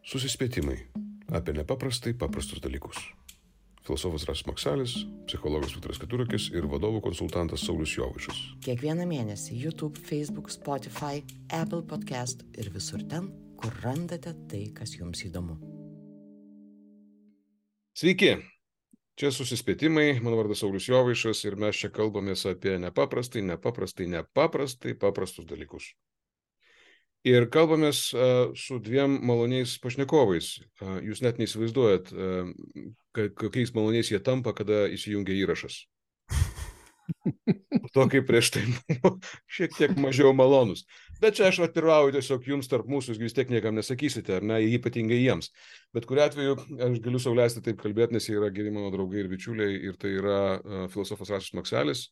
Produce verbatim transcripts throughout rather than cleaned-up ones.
Susispėtimai apie nepaprastai paprastus dalykus. Filosofas Rasas Maksalis, psichologas Viktoras Keturakis ir vadovų konsultantas Saulius Jovaišas. Kiekvieną mėnesį YouTube, Facebook, Spotify, Apple Podcast ir visur ten, kur randate tai, kas jums įdomu. Sveiki! Čia Susispėtimai, mano vardas Saulius Jovaišas ir mes čia kalbamės apie nepaprastai, nepaprastai, nepaprastai paprastus dalykus. Ir kalbamės uh, su dviem maloniais pašnekovais. Uh, jūs net neįsivaizduojat, uh, kokiais maloniais jie tampa, kada įsijungia įrašas. To, kaip prieš tai buvo šiek tiek mažiau malonus. Bet čia aš atirauju tiesiog jums tarp mūsų, jūs vis tiek niekam nesakysite, ar ne, ypatingai jiems. Bet kuriuo atveju aš galiu sau leisti taip kalbėti, nes jie yra geri mano draugai ir bičiuliai, ir tai yra uh, filosofas Rasas Maksalis.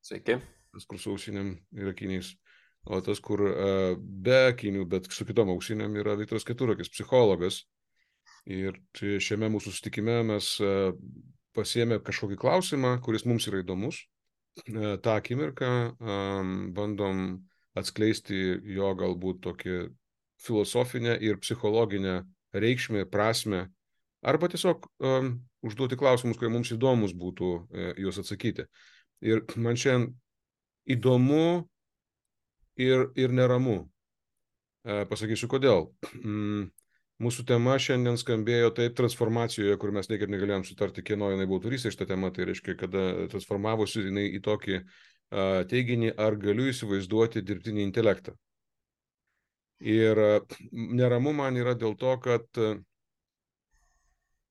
Sveiki. Tas, kur su ausinėm ir akiniais. O tas, kur uh, be akinių, bet su kitom ausinėm, yra Viktoras Keturakis, psichologas. Ir šiame mūsų susitikime mes uh, pasiėmė kažkokį klausimą, kuris mums yra įdomus. Uh, tą akimirką um, bandom atskleisti jo galbūt tokį filosofinę ir psichologinę reikšmę, prasmę, arba tiesiog um, užduoti klausimus, kurie mums įdomus būtų uh, juos atsakyti. Ir man šiandien įdomu Ir, ir neramu. E, pasakysiu, kodėl. Mm, mūsų tema šiandien skambėjo taip transformacijoje, kur mes niekaip negalėjom sutarti, kieno jinai buvo autorystė šitą temą, tai reiškia, kada transformavosi jinai į tokį a, teiginį, ar galiu įsivaizduoti dirbtinį intelektą. Ir a, neramu man yra dėl to, kad a,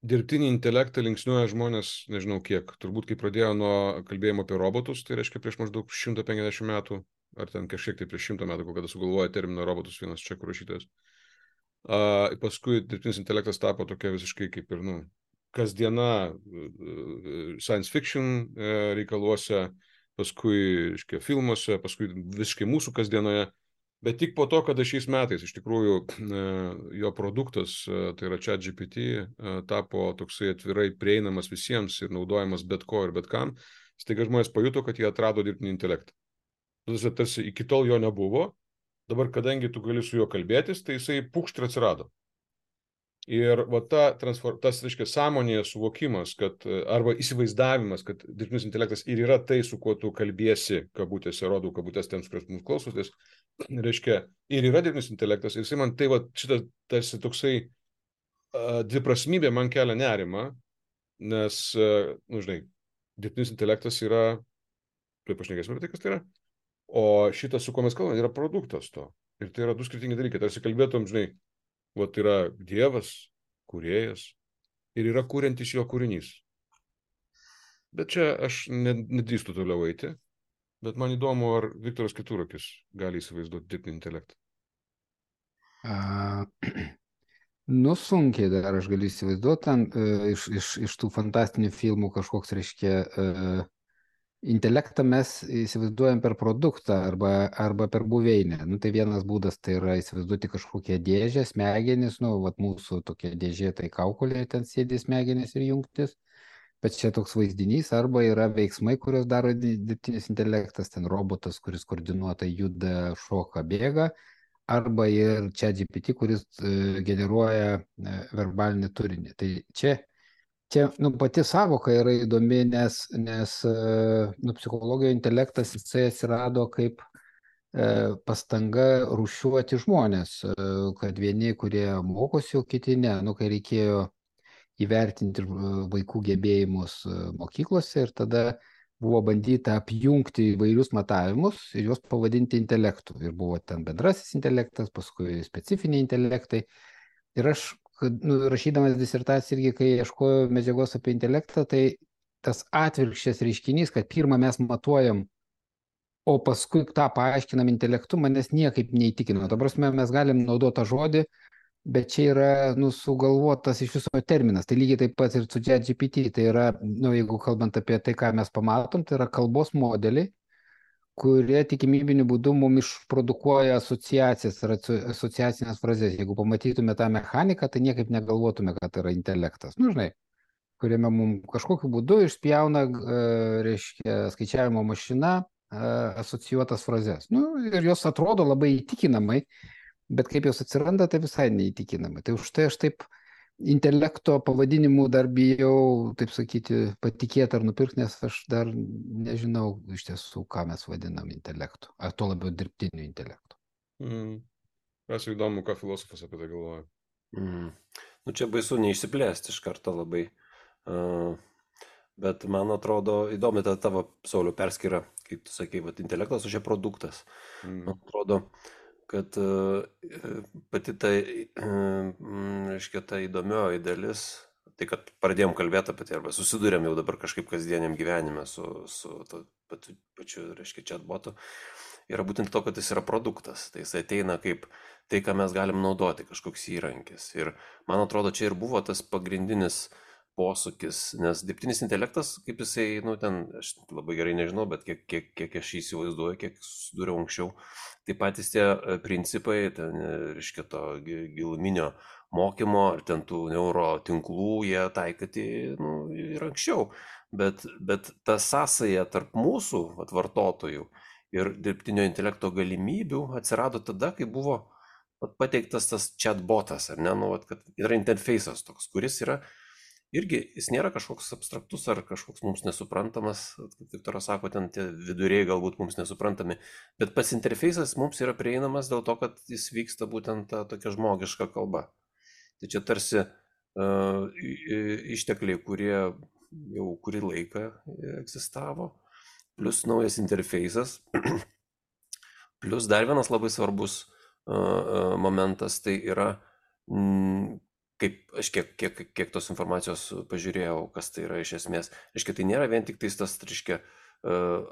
dirbtinį intelektą linksniuoja žmonės, nežinau kiek, turbūt kai pradėjo nuo kalbėjimo apie robotus, tai reiškia prieš maždaug šimtą penkiasdešimt metų, ar ten kažkiek tai prieš šimtą metų, kada sugalvoja terminą robotus vienas čekų rašytojas. Uh, paskui dirbtinis intelektas tapo tokia visiškai kaip ir, nu, kasdiena uh, science fiction uh, reikaluose, paskui, reiškia, filmuose, paskui visiškai mūsų kasdienoje. Bet tik po to, kada šiais metais iš tikrųjų uh, jo produktas, uh, tai yra ChatGPT, uh, tapo toksai atvirai prieinamas visiems ir naudojamas bet ko ir bet kam, staiga žmonės pajuto, kad jie atrado dirbtinį intelektą. Tarsi iki tol jo nebuvo, dabar kadangi tu gali su juo kalbėtis, tai jisai pukšt ir atsirado. Ir va ta transfor... tas, reiškia, sąmonėje suvokimas, kad, arba įsivaizdavimas, kad dirbtinis intelektas ir yra tai, su kuo tu kalbėsi, kabutėse, rodau kabutės tiems, kurios mūsų klausotės, reiškia, ir yra dirbtinis intelektas, ir jisai man tai, va, šitas, tarsi toksai uh, dviprasmybė man kelia nerimą, nes, uh, nu, žinai, dirbtinis intelektas yra, tai pašnekėsime apie tai, kas tai yra. O šitas, su kuo mes kalbame, yra produktas to. Ir tai yra du skirtingi dalykai. Tarsi kalbėtum, žinai, vat yra Dievas, kūrėjas, ir yra kuriantis jo kūrinys. Bet čia aš nedrįstu toliau eiti, bet man įdomu, ar Viktoras Keturakis gali įsivaizduoti dirbtinį intelektą. Uh, nu, sunkiai dar aš galiu įsivaizduoti, ten uh, iš, iš, iš tų fantastinių filmų kažkoks, reiškia, uh, intelektą mes įsivaizduojam per produktą arba, arba per buveinę. Nu, tai vienas būdas tai yra įsivaizduoti kažkokią dėžę, smegenis, nu, vat mūsų tokia dėžė, tai kaukolė, ten sėdi smegenis ir jungtis, bet čia toks vaizdinys, arba yra veiksmai, kurios daro dirbtinis intelektas, ten robotas, kuris koordinuotai juda, šoka, bėga, arba ir ChatGPT, kuris uh, generuoja uh, verbalinį turinį. Tai čia Čia nu, pati savoka yra įdomi, nes, nes nu, psichologijoje intelektas jisai atsirado kaip e, pastanga rūšiuoti žmonės, e, kad vieni, kurie mokosi, o kiti ne. Nu, kai reikėjo įvertinti vaikų gebėjimus mokyklose ir tada buvo bandyta apjungti įvairius matavimus ir juos pavadinti intelektu. Ir buvo ten bendrasis intelektas, paskui specifiniai intelektai. Ir aš Nu, rašydamas disertaciją irgi, kai ieškojau medžiagos apie intelektą, tai tas atvirkščias reiškinys, kad pirmą mes matuojam, o paskui tą paaiškinam intelektu, manęs niekaip neįtikino. Dabar mes galim naudoti tą žodį, bet čia yra nu, sugalvotas iš viso terminas. Tai lygiai taip pat ir su ChatGPT. Tai yra, nu, jeigu kalbant apie tai, ką mes pamatom, tai yra kalbos modeliai, kurie tikimybiniu būdu mums išprodukuoja asociacijas ir asociacinės frazės. Jeigu pamatytume tą mechaniką, tai niekaip negalvotume, kad tai yra intelektas. Nu, žinai, kuriame mums kažkokiu būdu išspjauna, reiškia, skaičiavimo mašina asocijuotas frazės. Nu, ir jos atrodo labai įtikinamai, bet kaip jos atsiranda, tai visai neįtikinamai. Tai už tai aš taip intelekto pavadinimų dar bijau, taip sakyti, patikėti ar nupirkti, nes aš dar nežinau iš tiesų, ką mes vadinam intelektu, ar to labiau dirbtiniu intelektu. Mm. Kas įdomu, ką filosofas apie tai galvoja. Mm. Nu, čia baisu neišsiplėsti iš karto labai. Uh, bet man atrodo įdomi ta tavo, Sauliau, perskyra, kaip tu sakai, vat, intelektas, o čia produktas. Mm. Man atrodo, kad uh, pati ta, uh, reiškia, ta įdomioji dalis, tai kad pradėjom kalbėti apie tai, arba susidurėm jau dabar kažkaip kasdieniam gyvenime su, su to, pačiu, pačiu, reiškia, chatbotu, yra būtent to, kad jis yra produktas. Tai jis ateina kaip tai, ką mes galim naudoti, kažkoks įrankis. Ir man atrodo, čia ir buvo tas pagrindinis posūkis, nes dirbtinis intelektas, kaip jisai, nu ten, aš labai gerai nežinau, bet kiek, kiek, kiek aš įsivaizduoju, kiek susidūriau anksčiau, tai patys tie principai, ten, reiškia, to giluminio mokymo ar ten tų neuro tinklų, jie taikyti, nu, ir anksčiau. Bet, bet ta sąsaja tarp mūsų, vat, vartotojų ir dirbtinio intelekto galimybių atsirado tada, kai buvo vat, pateiktas tas chatbotas, ar ne, nu, vat, kad yra interfejsas toks, kuris yra irgi, jis nėra kažkoks abstraktus ar kažkoks mums nesuprantamas, kaip Viktoras sako, ten tie viduriai galbūt mums nesuprantami, bet pats interfejsas mums yra prieinamas dėl to, kad jis vyksta būtent ta tokia žmogiška kalba. Tai čia tarsi uh, ištekliai, kurie jau kurį laiką egzistavo, plus naujas interfejsas, plus dar vienas labai svarbus uh, momentas, tai yra mm, kaip aš kiek, kiek, kiek tos informacijos pažiūrėjau, kas tai yra iš esmės. Reiškia, tai nėra vien tik tais tas, reiškia,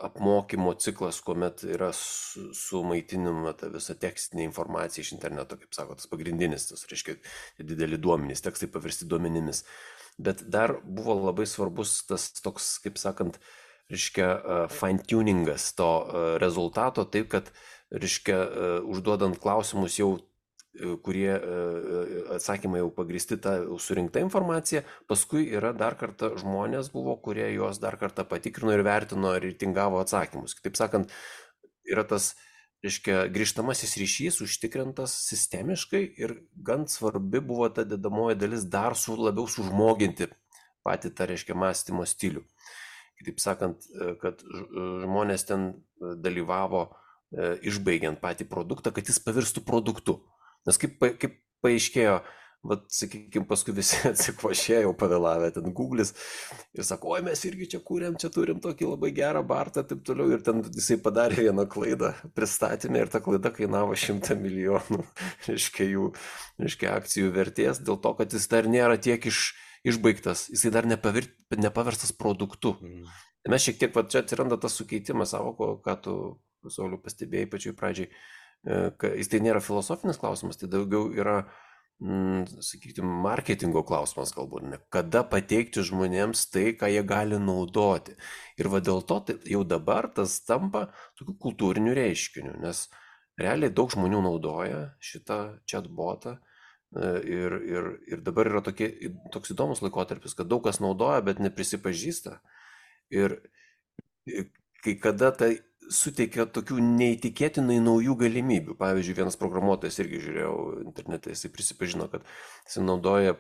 apmokymo ciklas, kuomet yra sumaitinama ta visa tekstinė informacija iš interneto, kaip sako, tas pagrindinis, tas, reiškia, dideli duomenys, tekstai paversti duomenimis. Bet dar buvo labai svarbus tas toks, kaip sakant, reiškia, fine-tuningas to rezultato, taip, kad, reiškia, užduodant klausimus jau kurie atsakymai jau pagristi tą surinktą informaciją, paskui yra dar kartą žmonės buvo, kurie juos dar kartą patikrino ir vertino ir reitingavo atsakymus. Kitaip sakant, yra tas, reiškia, grįžtamasis ryšys užtikrintas sistemiškai ir gan svarbi buvo ta dedamoji dalis dar su, labiau sužmoginti patį tą, reiškia, mąstymo stilių. Kitaip sakant, kad žmonės ten dalyvavo išbaigiant patį produktą, kad jis pavirstų produktu. Nes kaip, kaip paaiškėjo, vat, sakykime, paskui visi atsikvošėjo, pavėlavę ten Google'is ir sako, oi, mes irgi čia kūrėm, čia turim tokį labai gerą bartą, taip toliau, ir ten jisai padarė vieną klaidą pristatymę ir ta klaida kainavo šimtą milijonų, reiškia, jų, reiškia, akcijų vertės, dėl to, kad jis dar nėra tiek iš, išbaigtas, jisai dar nepavir, nepaverstas produktu. Mm. Mes šiek tiek, va, čia atsiranda tas sukeitimas savo, ką tu, Sauliau, pastebėjai pačioj pradžiai. Jis tai nėra filosofinis klausimas, tai daugiau yra, mm, sakykime, marketingo klausimas galbūt, ne? Kada pateikti žmonėms tai, ką jie gali naudoti. Ir va dėl to tai jau dabar tas tampa tokiu kultūriniu reiškiniu, nes realiai daug žmonių naudoja šitą chatbotą ir, ir, ir dabar yra tokie, toks įdomus laikotarpis, kad daug kas naudoja, bet neprisipažįsta. Ir kai kada tai suteikia tokių neįtikėtinai naujų galimybių. Pavyzdžiui, vienas programuotojas irgi žiūrėjau internete, jisai prisipažino, kad jisai naudoja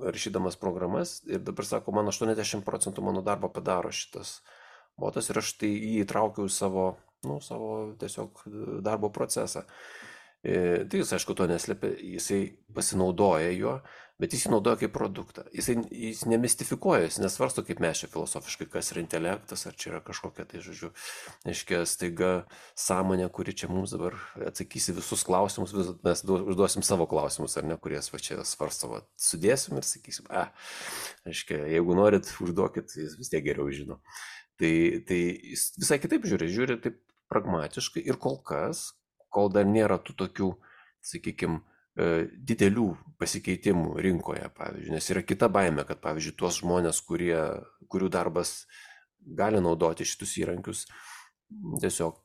rašydamas programas ir dabar sako, man aštuoniasdešimt procentų mano darbo padaro šitas botas ir aš tai jį įtraukiau į savo, nu, savo tiesiog darbo procesą. E, tai jis, aišku, to neslėpia, jisai pasinaudoja juo, bet jis jį naudoja kaip produktą. Jisai, jis nemistifikuoja, jis nesvarsto kaip mes čia filosofiškai, kas yra intelektas, ar čia yra kažkokia, tai žodžiu, aiškia, staiga sąmonė, kuri čia mums dabar atsakysi visus klausimus, vis, mes užduosim savo klausimus, ar ne, kuries va čia svarsto, va, sudėsim ir sakysim, a, aiškia, jeigu norit, užduokit, jis vis tiek geriau žino. Tai, tai jis visai kitaip žiūri, žiūri taip pragmatiškai ir kol kas, kol dar nėra tų tokių, sakykime, didelių pasikeitimų rinkoje, pavyzdžiui, nes yra kita baimė, kad, pavyzdžiui, tuos žmonės, kurie, kurių darbas gali naudoti šitus įrankius, tiesiog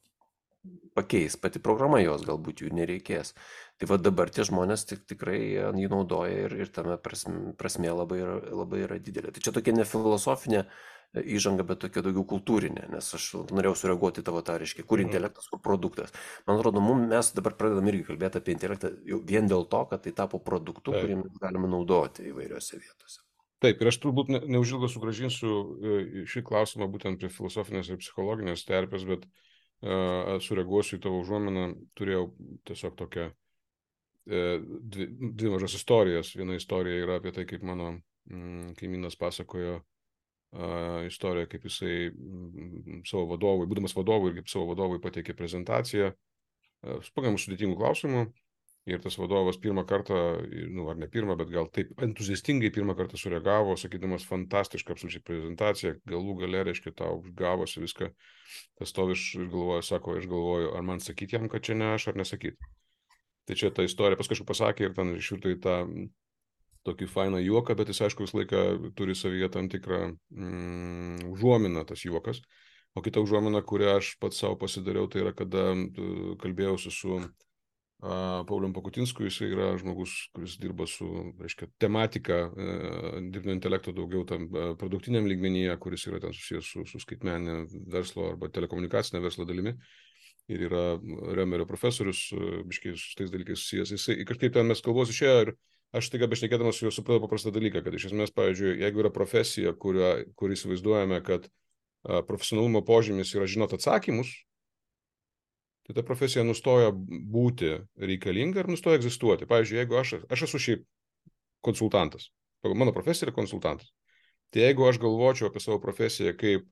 pakeis, pati programa jos galbūt jų nereikės. Tai va dabar tie žmonės tik, tikrai jį naudoja ir, ir tame prasme, prasme labai, yra, labai yra didelė. Tai čia tokia nefilosofinė įžanga, bet tokia daugiau kultūrinė, nes aš norėjau sureaguoti tavo tą, reiškia, kur intelektas, kur produktas. Man atrodo, mum, mes dabar pradedam irgi kalbėti apie intelektą jau vien dėl to, kad tai tapo produktu, Taip. kurį mes galime naudoti įvairiose vietose. Taip, ir aš turbūt ne, neužilgo sugražinsiu šį klausimą būtent prie filosofinės ir psichologinės terpės, bet uh, sureaguosiu į tavo užuominą, turėjau tiesiog tokią uh, dvi, dvi mažas istorijas. Viena istorija yra apie tai, kaip mano mm, kaimynas pasakojo Uh, istorija, kaip jisai mm, savo vadovui, būdamas vadovui ir kaip savo vadovui pateikė prezentaciją uh, su pakankamai sudėtingų klausimų ir tas vadovas pirmą kartą, nu ar ne pirmą, bet gal taip entuziastingai pirmą kartą sureagavo, sakydamas fantastišką absoliučiai prezentaciją, galų gale, reiškia, tau gavosi viską, tas stovi ir galvoja, sako, aš galvoju, ar man sakyti jam, kad čia ne aš, ar nesakyti. Tai čia ta istorija pas kažkaip pasakė ir ten išvirto į tą tokį fainą juoką, bet jis, aišku, visą laiką turi savyje tam tikrą mm, užuominą tas juokas. O kita užuomina, kurią aš pats savo pasidariau, tai yra, kada kalbėjausi su uh, Paulium Pakutinsku, jis yra žmogus, kuris dirba su, reiškia, tematika uh, dirbtinio intelekto daugiau tam uh, produktiniam lygmenyje, kuris yra ten susijęs su, su skaitmeninė verslo arba telekomunikacinė verslo dalimi. Ir yra Remerio profesorius, uh, biškai su tais dalykais susijęs. Jisai kažkaip ten mes kalbos išėjo ir aš tik bešnekėdamas su juo supratau paprastą dalyką, kad iš esmės, pavyzdžiui, jeigu yra profesija, kurio, kur įsivaizduojame, kad a, profesionalumo požymis yra žinoti atsakymus, tai ta profesija nustoja būti reikalinga ir nustoja egzistuoti. Pavyzdžiui, jeigu aš, aš esu šiaip konsultantas, mano profesija yra konsultantas, tai jeigu aš galvočiau apie savo profesiją kaip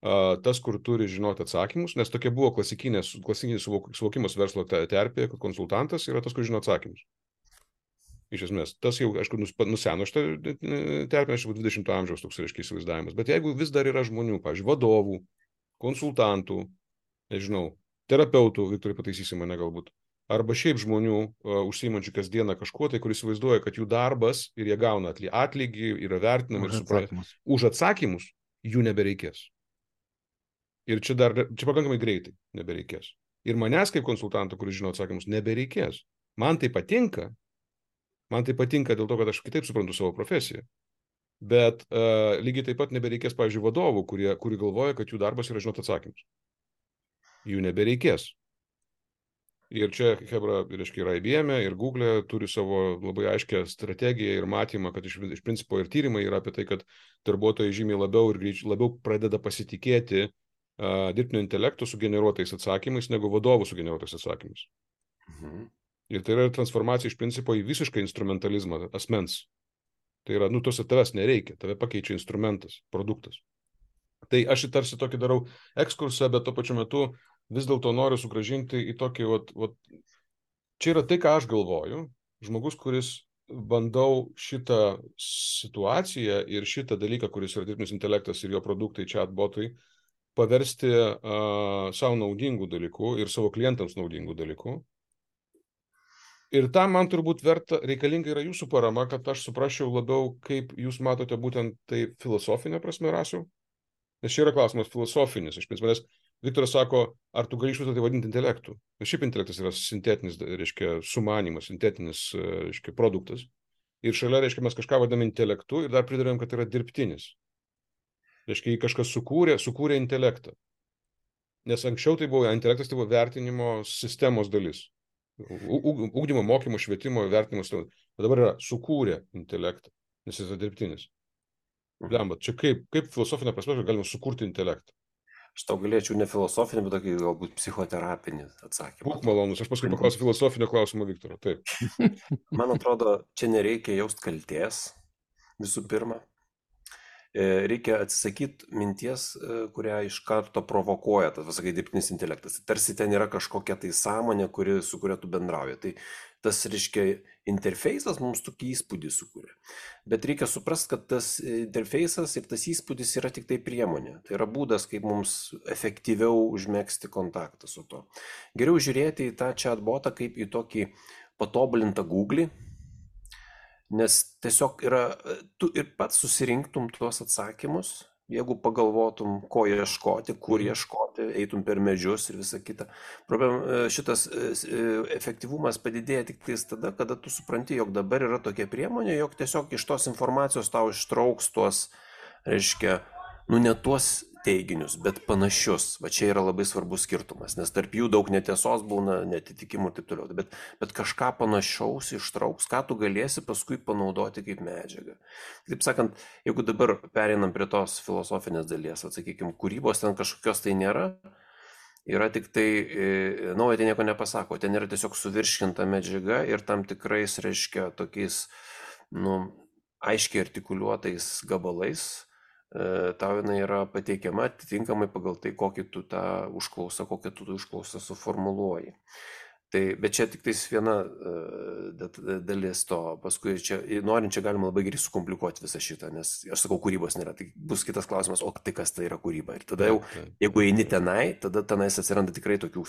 a, tas, kur turi žinoti atsakymus, nes tokia buvo klasikinis, klasikinis suvokimas verslo terpėje, kad konsultantas yra tas, kur žino atsakymus. Iš esmės, tas jau, aišku, nuseno šitą terpę, aš jau dvidešimto amžiaus toks, reiškia, įsivaizdavimas. Bet jeigu vis dar yra žmonių, pavyzdžiui, vadovų, konsultantų, nežinau, terapeutų, Viktorai pataisysi mane galbūt, arba šiaip žmonių uh, užsiimančių kasdieną kažkuo, tai kur įsivaizduoja, kad jų darbas ir jie gauna atlygį, yra vertinami ir suprantami. Už atsakymus jų nebereikės. Ir čia dar, čia pakankamai greitai nebereikės. Ir manęs kaip konsultanto, kuris žino atsakymus, nebereikės. Man tai patinka. Man tai patinka dėl to, kad aš kitaip suprantu savo profesiją. Bet uh, lygiai taip pat nebereikės, pavyzdžiui, vadovų, kurie, kurie galvoja, kad jų darbas yra žinoti atsakymus. Jų nebereikės. Ir čia, hebra, reiškia, ir I B M, ir Google turi savo labai aiškę strategiją ir matymą, kad iš, iš principo ir tyrimai yra apie tai, kad darbuotojai žymiai labiau ir greičiau labiau pradeda pasitikėti uh, dirbtinio intelekto sugeneruotais atsakymais, negu vadovų sugeneruotais atsakymais. Mhm. Ir tai yra transformacija iš principo į visišką instrumentalizmą asmens. Tai yra, nu, tos tavęs nereikia, tave pakeičia instrumentas, produktas. Tai aš tarsi tokį darau ekskursą, bet tuo pačiu metu vis dėlto noriu sugrąžinti į tokį, vat, vat, čia yra tai, ką aš galvoju, žmogus, kuris bandau šitą situaciją ir šitą dalyką, kuris yra dirbtinis intelektas ir jo produktai, chatbotai, paversti uh, savo naudingų dalykų ir savo klientams naudingų dalykų. Ir tam man turbūt verta, reikalinga yra jūsų parama, kad aš suprasčiau labiau, kaip jūs matote būtent tai filosofinė prasme rasių. Nes čia yra klausimas filosofinis. Iš principo, nes Viktoras sako, ar tu gali iš viso tai vadinti intelektu. Nes šiaip intelektas yra sintetinis, reiškia, sumanimas, sintetinis, reiškia, produktas. Ir šalia, reiškia, mes kažką vadiname intelektu ir dar pridarėm, kad tai yra dirbtinis. Reiškia, jį kažkas sukūrė, sukūrė intelektą. Nes anksčiau tai buvo, intelektas tai buvo vertinimo sistemos dalis. Ugdymo, mokymo, švietimo, vertinimas, bet dabar yra sukūrė intelektą, nes jis yra dirbtinis. Blemba, čia kaip, kaip filosofinė prasme galima sukurti intelektą? Aš tau galėčiau ne filosofinį, bet tokį galbūt psichoterapinį atsakymą. Būk malonus, aš paskui paklausiu filosofinio klausimo Viktoro, taip. Man atrodo, čia nereikia jaust kaltės, visų pirma. Reikia atsisakyti minties, kurią iš karto provokuoja tas, sakai, dirbtinis intelektas. Tarsi ten yra kažkokia tai sąmonė, kuri, su kuria tu bendrauji. Tai tas, reiškia, interfeisas mums tokį įspūdį sukuria. Bet reikia suprasti, kad tas interfeisas ir tas įspūdis yra tik tai priemonė. Tai yra būdas, kaip mums efektyviau užmegzti kontaktą su to. Geriau žiūrėti į tą chatbotą kaip į tokį patobulintą Google. Nes tiesiog yra, tu ir pats susirinktum tuos atsakymus, jeigu pagalvotum, ko ieškoti, kur ieškoti, eitum per medžius ir visa kita. Problem, šitas efektyvumas padidėja tik tais tada, kada tu supranti, jog dabar yra tokia priemonė, jog tiesiog iš tos informacijos tau ištrauks tuos, reiškia, nu ne tuos teiginius, bet panašius. Va čia yra labai svarbus skirtumas, nes tarp jų daug netiesos būna, netitikimų ir taip toliau. Bet, bet kažką panašaus ištrauks, ką tu galėsi paskui panaudoti kaip medžiagą. Taip sakant, jeigu dabar pereinam prie tos filosofinės dalies, atsakykime, kūrybos ten kažkokios tai nėra, yra tik tai, nauja tai nieko nepasako, ten yra tiesiog suvirškinta medžiaga ir tam tikrais, reiškia, tokiais, nu, aiškiai artikuliuotais gabalais, tau jinai yra pateikiama atitinkamai pagal tai, kokį tu tą užklausą, kokią tu užklausą suformuluoji. Tai, bet čia tik tais viena dalis to, paskui čia, norint čia galima labai gerai sukomplikuoti visą šitą, nes aš sakau, kūrybos nėra, tai bus kitas klausimas, o tai kas tai yra kūryba. Ir tada jau, jeigu eini tenai, tada tenais atsiranda tikrai tokių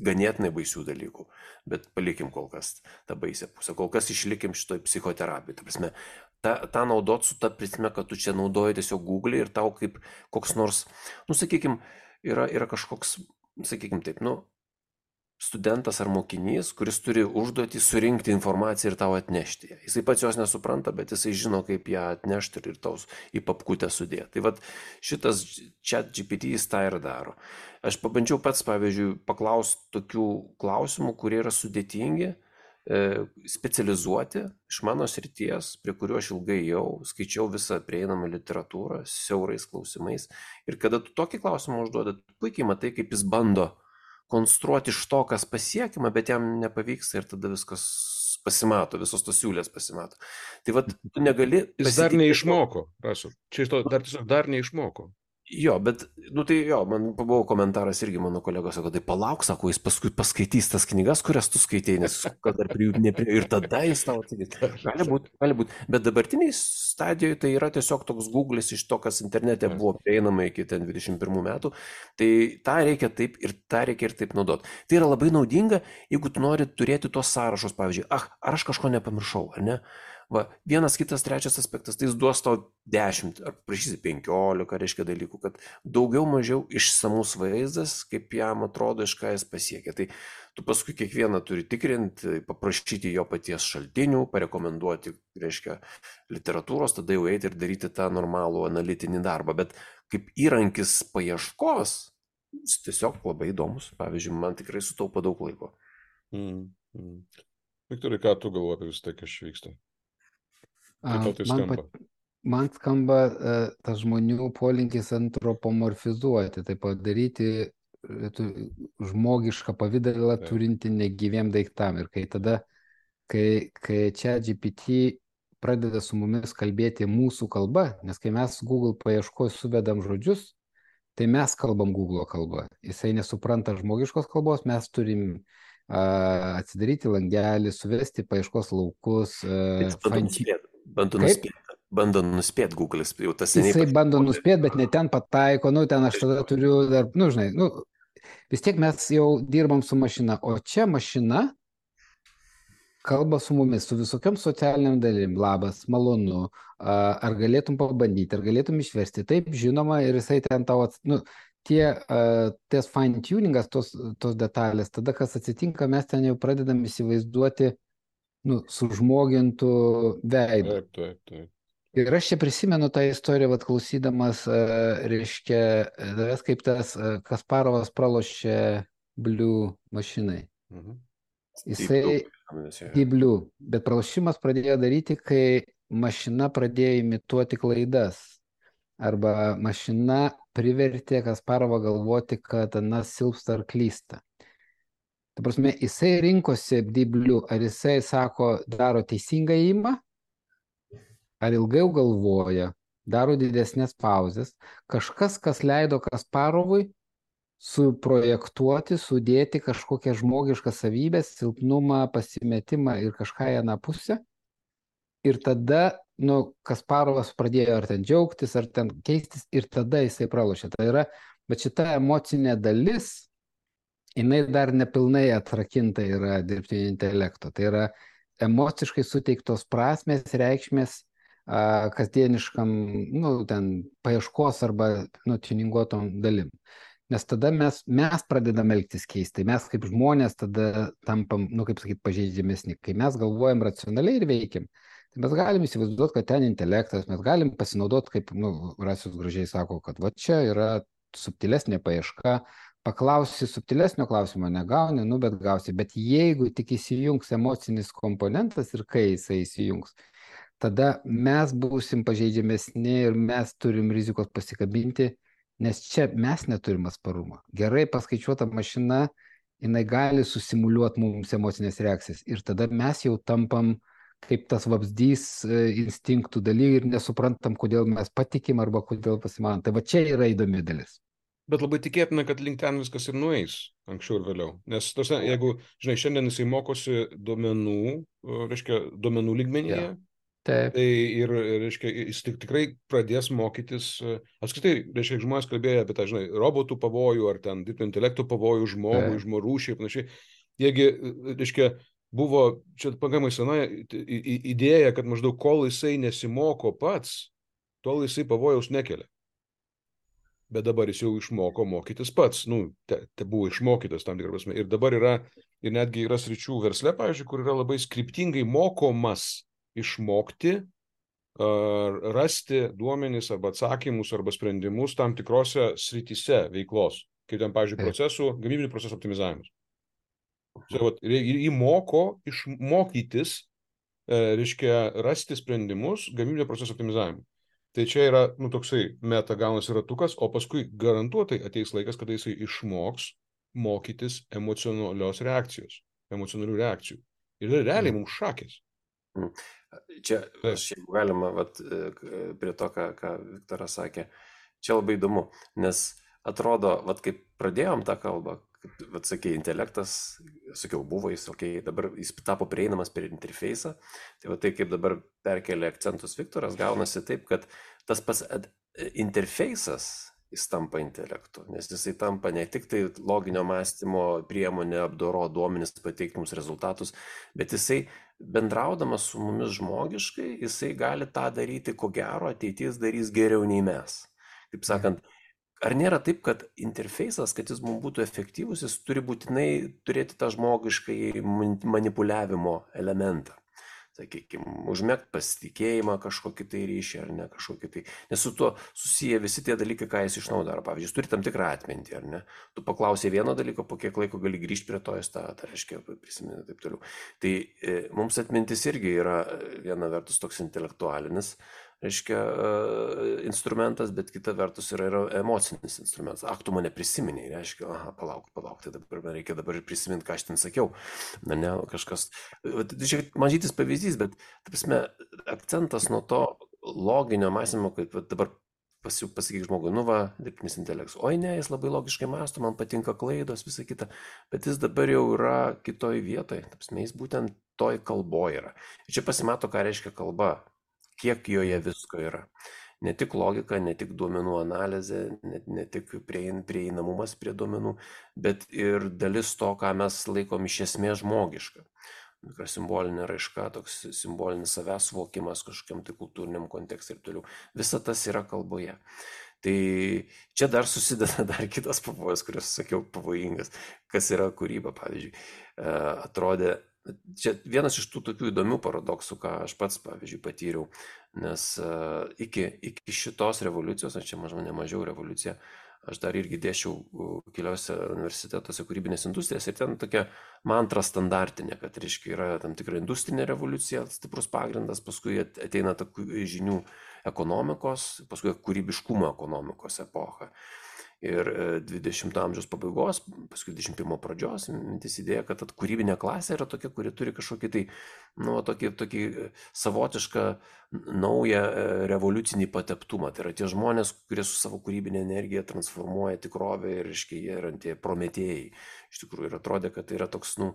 ganėtinai baisių dalykų, bet palikim kol kas tą baisę pusę, kol kas išlikim šitoj psichoterapijai, ta prasme, tą, tą naudot su ta prasme, kad tu čia naudoji tiesiog Google ir tau kaip koks nors, nu sakykim, yra, yra kažkoks, sakykim taip, nu, studentas ar mokinys, kuris turi užduotį surinkti informaciją ir tau atnešti ją. Jisai pats jos nesupranta, bet jisai žino, kaip ją atnešti ir taus į papkutę sudėti. Tai vat šitas ChatGPT jis tą ir daro. Aš pabandžiau pats, pavyzdžiui, paklausti tokių klausimų, kurie yra sudėtingi, specializuoti iš mano srities, prie kuriuo aš ilgai jau skaičiau visą prieinamą literatūrą, siaurais klausimais. Ir kada tu tokį klausimą užduodat, puikiai matai, kaip jis bando konstruoti iš to, kas pasiekima, bet jam nepavyksta ir tada viskas pasimato, visos tos siūlės pasimato. Tai vad, tu negali... Jis dar neišmoko, prašau. Čia iš to dar tiesiog dar neišmoko. Jo, bet, nu tai jo, man buvo komentaras irgi mano kolegos, sako, tai palauk, sako, jis paskui paskaitys tas knygas, kurias tu skaitėjai, nes kad dar prie jų neprie... Ir tada jis tau atsakys. Gali būti, gali būti. Bet dabartiniai stadijoje tai yra tiesiog toks Google'is iš to, kas internete buvo prieinama iki ten dvidešimt pirmų metų. Tai tą reikia taip ir tą reikia ir taip naudoti. Tai yra labai naudinga, jeigu tu nori turėti tos sąrašus, pavyzdžiui, ah, ar aš kažko nepamiršau, ar ne? Va, vienas, kitas, trečias aspektas, tai jis duos tau dešimt, ar prašysi penkiolika, reiškia dalykų, kad daugiau mažiau išsamus vaizdas, kaip jam atrodo, iš ką jis pasiekia. Tai tu paskui kiekvieną turi tikrinti, paprašyti jo paties šaltinių, parekomenduoti, reiškia, literatūros, tada jau eiti ir daryti tą normalų analitinį darbą. Bet kaip įrankis paieškos, jis tiesiog labai įdomus. Pavyzdžiui, man tikrai sutaupo daug laiko. Mm, mm. Viktorai, ką tu galvoji apie visą tai, kas čia vyksta? Kaip tai skamba? Man, pat, man skamba uh, tas žmonių polinkis antropomorfizuoti, tai padaryti tu, žmogišką pavidalą turinti negyviem daiktam. Ir kai tada, kai, kai ChatGPT pradeda su mumis kalbėti mūsų kalba, nes kai mes Google paieškos suvedam žodžius, tai mes kalbam Google kalbą. Jisai nesupranta žmogiškos kalbos, mes turim uh, atsidaryti langelį, suvesti paieškos laukus. Uh, Bando nuspėti, bando nuspėti Google'is, jau tas seniai. Jisai bando nuspėti, bet ne ten pataiko, nu ten aš tada turiu dar, nu žinai, nu vis tiek mes jau dirbam su mašina, o čia mašina kalba su mumis, su visokiam socialiniam dalim, labas, malonu, ar galėtum pabandyti, ar galėtum išversti, taip, žinoma, ir jisai ten tau, ats... nu, tie, ties fine tuningas, tos, tos detalės, tada kas atsitinka, mes ten jau pradedam įsivaizduoti nu, sužmogintų veidų. Taip, taip, taip. Ir aš čia prisimenu tą istoriją, vat klausydamas, reiškia, tas kaip tas Kasparovas pralošė Blue mašinai. Mhm. Jisai, Deep Blue, bet pralošimas pradėjo daryti, kai mašina pradėjo imituoti klaidas. Arba mašina privertė Kasparovą galvoti, kad Anas silpsta ar klysta. Ta prasme, jisai rinkosi Deep Blue, ar jisai sako, daro teisingą ėjimą, ar ilgiau galvoja, daro didesnės pauzes. Kažkas, kas leido Kasparovui suprojektuoti, sudėti kažkokią žmogišką savybę, silpnumą, pasimetimą ir kažką į aną pusę. Ir tada, nu, Kasparovas pradėjo ar ten džiaugtis, ar ten keistis, ir tada jisai pralošė. Tai yra, bet šita emocinė dalis, jinai dar nepilnai atrakinta yra dirbtinio intelekto. Tai yra emociškai suteiktos prasmės, reikšmės a, kasdieniškam, nu, ten paieškos arba, nu, tuninguotom dalim. Nes tada mes, mes pradedam elgtis keistai. Mes kaip žmonės tada tampam, nu, kaip sakyt, pažeidžiamesni. Kai mes galvojam racionaliai ir veikiam, Tai mes galim įsivaizduoti, kad ten intelektas, mes galim pasinaudoti, kaip, nu, Rasius gražiai sako, kad va čia yra subtilesnė paieška, paklausi subtilesnio klausimo negauni, nu, bet gausi. Bet jeigu tik įsijungs emocinis komponentas ir kai jisai įsijungs, tada mes būsim pažeidžiamesni ir mes turim rizikos pasikabinti, nes čia mes neturim atsparumo. Gerai paskaičiuota mašina, jinai gali susimuliuoti mums emocinės reakcijas ir tada mes jau tampam kaip tas vabzdys instinktų daly ir nesuprantam, kodėl mes patikim arba kodėl pasimanom. Tai va čia yra įdomi dalis. Bet labai tikėtina, kad link ten viskas ir nueis anksčiau ir vėliau. Nes tos, jeigu, žinai, šiandien jisai mokosi duomenų, reiškia, duomenų lygmenyje, Ja. Taip. tai ir, reiškia, jis tik, tikrai pradės mokytis, apskritai, reiškia, žmonės kalbėjo apie tą, žinai, robotų pavojų ar ten dirbtinio intelekto pavojų žmogui, žmorūšiai ir panašiai. Jiegi, reiškia, buvo čia pagamai sena idėja, kad maždaug kol jisai nesimoko pats, tol jisai pavojaus nekelia. Bet dabar jis jau išmoko mokytis pats, nu, te, te buvo išmokytas tam tikrą prasme. Ir dabar yra, ir netgi yra sričių versle, pavyzdžiui, kur yra labai skriptingai mokomas išmokti, uh, rasti duomenis arba atsakymus arba sprendimus tam tikrose srityse veiklos, kaip ten, pavyzdžiui, procesų, gamybinių procesų optimizavimus. Čia, vat, jį moko išmokytis, uh, reiškia, rasti sprendimus gamybinio procesų optimizavimui. Tai čia yra, nu, toksai meta gaunasi ratukas, o paskui garantuotai ateis laikas, kada jisai išmoks mokytis emocionalios reakcijos, emocionalių reakcijų. Ir realiai mums šakės. Čia, aš jeigu galima, vat, prie to, ką, ką Viktoras sakė, čia labai įdomu, nes atrodo, vat, kaip pradėjom tą kalbą, vat, sakė, intelektas, sakiau, buvo jis, okay, dabar jis tapo prieinamas per interfeisą, tai va tai, kaip dabar perkelia akcentus Viktoras, gaunasi taip, kad tas pats interfeisas, jis tampa intelektu, nes jisai tampa ne tik tai loginio mąstymo priemonė, apdoro duomenis, pateikti mums rezultatus, bet jisai bendraudamas su mumis žmogiškai, jisai gali tą daryti, ko gero, ateities darys geriau nei mes. Taip sakant, ar nėra taip, kad interfeisas, kad jis mums būtų efektyvus, jis turi būtinai turėti tą žmogiškai manipuliavimo elementą? Sakykime, užmėgt pasitikėjimą kažkokį tai ryšį ar ne kažkokį tai. Nes su tuo susiję visi tie dalykai, ką jis išnaudoja. Pavyzdžiui, jis turi tam tikrą atmintį, ar ne? Tu paklausai vieno dalyko, po kiek laiko gali grįžti prie to, jis tą, tai reiškia, prisimeni taip toliau. Tai e, mums atmintis irgi yra viena vertus toks intelektualinis, reiškia, instrumentas, bet kita vertus yra, yra emocinis instrumentas. Ak, tu mane prisiminiai, reiškia, aha, palauk, palauk, tai dabar reikia dabar prisiminti, ką aš ten sakiau. Na, ne, kažkas, žiūrėk, mažytis pavyzdys, bet, ta prasme, akcentas nuo to loginio mąstymo, kad dabar pas, pasakyk žmogui, nu va, dirbtinis intelektas, oi ne, jis labai logiškai mąsto, man patinka klaidos, visa kita, bet jis dabar jau yra kitoj vietoje, ta prasme, jis būtent toj kalboje yra. Ir čia pasimato, ką reiškia kalba. Kiek joje visko yra. Ne tik logika, ne tik duomenų analizė, ne, ne tik priein, prieinamumas prie duomenų, bet ir dalis to, ką mes laikom iš esmės žmogiška. Tikra simbolinė raiška, toks simbolinis savęs suvokimas kažkokiam tai kultūriniam kontekstui ir toliau. Visa tas yra kalboje. Tai čia dar susideda dar kitas pavojus, kuris, sakiau, pavojingas. Kas yra kūryba, pavyzdžiui. Atrodė, čia vienas iš tų tokių įdomių paradoksų, ką aš pats, pavyzdžiui, patyriau, nes uh, iki, iki šitos revoliucijos, aš čia mažiau, ne mažiau revoliucija, aš dar irgi dėšiau keliose universitetuose kūrybinės industrijas ir ten tokia mantra standartinė, kad, reiškia, yra tam tikra industrinė revoliucija, stiprus pagrindas, paskui ateina ta žinių ekonomikos, paskui kūrybiškumo ekonomikos epocha. Ir dvidešimto amžiaus pabaigos, paskui dvidešimt pirmo pradžios, mintis idėja, kad kūrybinė klasė yra tokia, kuri turi kažkokį tai, nu, tokį, tokį savotišką naują revoliucinį pateptumą. Tai yra tie žmonės, kurie su savo kūrybinė energija transformuoja tikrovę ir, reiškia, jie yra tie prometėjai. Iš tikrųjų, ir atrodė, kad tai yra toks, nu,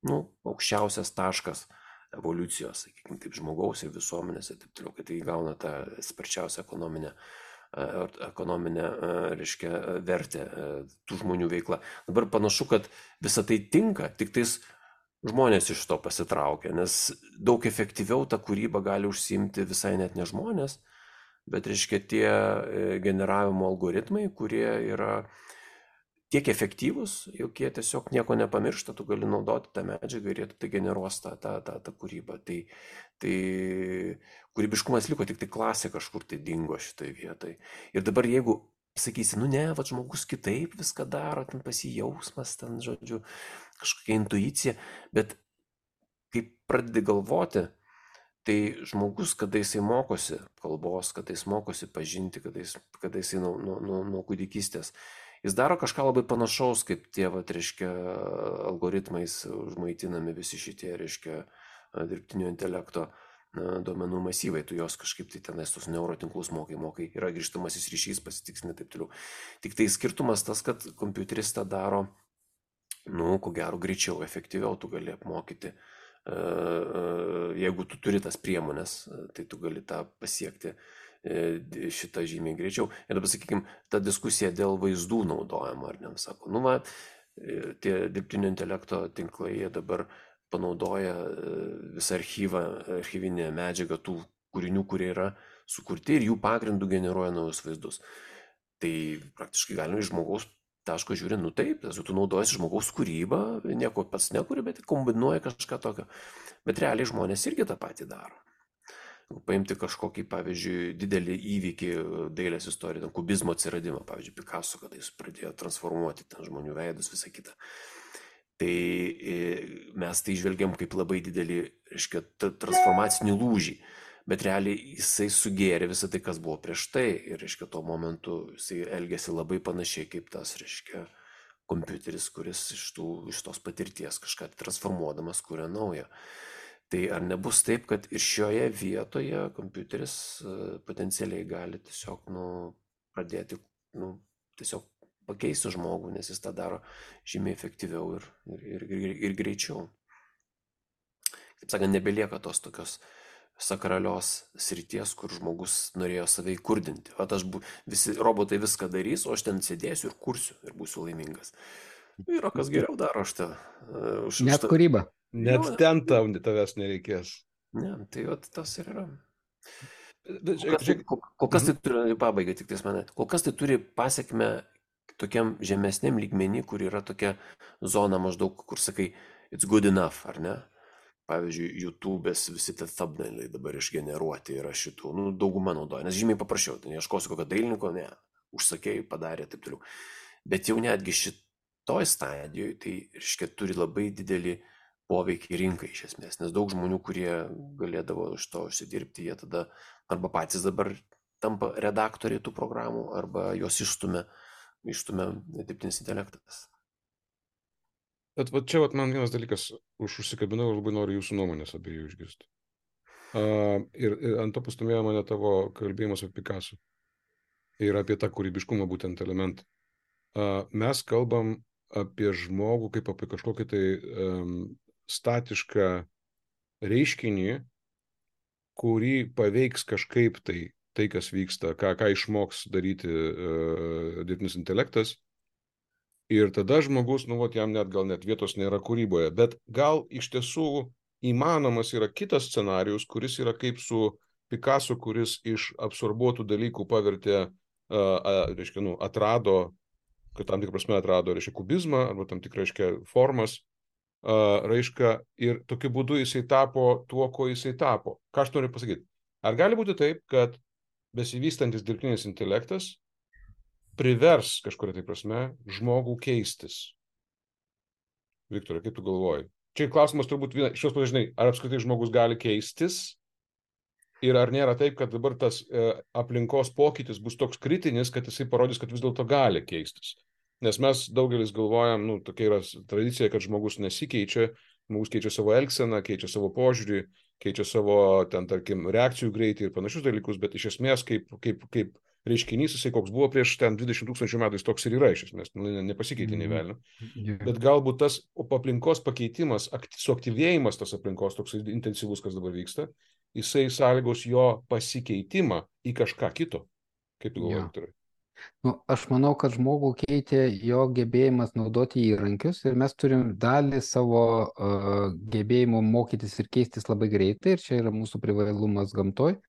nu, aukščiausias taškas evoliucijos, sakykime, taip, žmogaus ir visuomenės ir taip toliau, kad tai gauna tą sparčiausią ekonominę ekonominę, reiškia, vertę tų žmonių veikla. Dabar panašu, kad visa tai tinka, tik tais žmonės iš to pasitraukia, nes daug efektyviau tą kūrybą gali užsiimti visai net ne žmonės, bet, reiškia, tie generavimo algoritmai, kurie yra tiek efektyvūs, jog jie tiesiog nieko nepamiršta, tu gali naudoti tą medžiagą ir jie tai generuos tą, tą, tą, tą kūrybą. Tai, tai kūrybiškumas liko, tik tai klasė kažkur tai dingo šitoj vietoj. Ir dabar jeigu sakysi, nu ne, va žmogus kitaip viską daro, ten pasijausmas, ten, žodžiu, kažkokia intuicija, bet kai pradedi galvoti, tai žmogus, kada jisai mokosi kalbos, kada jis mokosi pažinti, kada, jis, kada jisai nuo, nuo, nuo, nuo kūdikystės, jis daro kažką labai panašaus, kaip tie, va, reiškia, algoritmais užmaitinami visi šitie, reiškia, dirbtinio intelekto duomenų masyvai, tu jos kažkaip tai tenais tos neurotinklus mokai, mokai, yra grįžtamasis ryšys, pasitiksini taip toliau. Tik tai skirtumas tas, kad kompiuteris tą daro, nu, ko gero, greičiau, efektyviau tu gali apmokyti. Jeigu tu turi tas priemonės, tai tu gali tą pasiekti šitą žymiai greičiau. Ir dabar, sakykime, ta diskusija dėl vaizdų naudojimo, ar ne, sako, nu, va, tie dirbtinio intelekto tinklai, jie dabar panaudoja visą archyvą, archyvinę medžiagą tų kūrinių, kurie yra sukurti ir jų pagrindų generuoja naujus vaizdus. Tai praktiškai galima iš žmogaus taško žiūri, nu taip, tu naudojasi žmogaus kūrybą, nieko pats nekuri, bet kombinuoja kažką tokio. Bet realiai žmonės irgi tą patį daro. Paimti kažkokį, pavyzdžiui, didelį įvykį dailės istoriją, kubizmo atsiradimą, pavyzdžiui, Picasso, kada jis pradėjo transformuoti ten žmonių veidus, visą kitą. Tai mes tai žvelgiam kaip labai didelį, reiškia, transformacinį lūžį, bet realiai jisai sugėrė visą tai, kas buvo prieš tai, ir, reiškia, tuo momentu jisai elgėsi labai panašiai kaip tas, reiškia, kompiuteris, kuris iš, tų, iš tos patirties kažką transformuodamas kuria naują. Tai ar nebus taip, kad ir šioje vietoje kompiuteris potencialiai gali tiesiog, nu, pradėti, nu, tiesiog pakeisti žmogų, nes jis tą daro žymiai efektyviau ir, ir, ir, ir greičiau. Taip sakant, nebelieka tos tokios sakralios srities, kur žmogus norėjo save įkurdinti. O aš bu, visi robotai viską darys, o aš ten sėdėsiu ir kursiu ir būsiu laimingas. Yra kas geriau daro aš tą. Uh, Net tą... kūryba. Net jo, ten tau tavęs nereikės. Ne, tai jo, tas ir yra. Kol kas, kol, kol kas tai turi, pabaigai tik tais mane, kol kas tai turi pasiekmę tokiam žemesniam lygmenį, kur yra tokia zona maždaug, kur sakai, it's good enough, ar ne? Pavyzdžiui, YouTube'ės visi tie thumbnailai dabar išgeneruoti yra šitų, nu, dauguma naudoja, nes žymiai paprasčiau, tai ieškosiu kokio dailininko, ne, užsakėjai, padarė, taip toliau. Bet jau netgi šitoj stadijoje, tai, reiškia, turi labai didelį poveikį rinkai iš esmės, nes daug žmonių, kurie galėdavo iš to užsidirbti, jie tada arba patys dabar tampa redaktoriai tų programų, arba jos išstumia ištumia dirbtinis intelektas. Bet va čia vat, man vienas dalykas už užsikabinau ir labai noriu jūsų nuomonės abiejų išgirsti. Uh, ir, ir ant to pastumėjo mane tavo kalbėjimas apie Picasso ir apie tą kūrybiškumą būtent elementą. Uh, mes kalbam apie žmogų kaip apie kažkokį tai um, statišką reiškinį, kurį paveiks kažkaip tai tai, kas vyksta, ką, ką išmoks daryti uh, dirbtinis intelektas. Ir tada žmogus, nu, vat, jam net gal net vietos nėra kūryboje. Bet gal iš tiesų įmanomas yra kitas scenarijus, kuris yra kaip su Picasso, kuris iš absorbuotų dalykų pavertė, uh, reiškia, nu, atrado, kad tam tikrą prasme atrado, reiškia, kubizmą, arba tam tikrą, reiškia, formas, uh, reiškia, ir tokiu būdu jisai tapo tuo, ko jisai tapo. Ką aš noriu pasakyti? Ar gali būti taip, kad besivystantis dirbtinis intelektas privers kažkuria tai prasme žmogų keistis? Viktorai, kaip tu galvoji? Čia klausimas turbūt viena, šios pažinai, ar apskritai žmogus gali keistis ir ar nėra taip, kad dabar tas e, aplinkos pokytis bus toks kritinis, kad jisai parodys, kad vis dėlto gali keistis. Nes mes daugelis galvojam, nu, tokia yra tradicija, kad žmogus nesikeičia, žmogus keičia savo elgseną, keičia savo požiūrį, keičia savo, ten, tarkim, reakcijų greitį ir panašius dalykus, bet iš esmės kaip, kaip, kaip reiškinys, jisai koks buvo prieš ten dvidešimt tūkstančių metų, jis toks ir yra iš esmės, nu, nepasikeitė nei velnio. Yeah. Bet galbūt tas aplinkos pakeitimas, suaktyvėjimas tas aplinkos toks intensyvus, kas dabar vyksta, jisai sąlygos jo pasikeitimą į kažką kito. Kaip tu galvoji, Viktorai? Nu, aš manau, kad žmogų keitė jo gebėjimas naudoti įrankius ir mes turim dalį savo uh, gebėjimo mokytis ir keistis labai greitai ir čia yra mūsų privalumas gamtoj.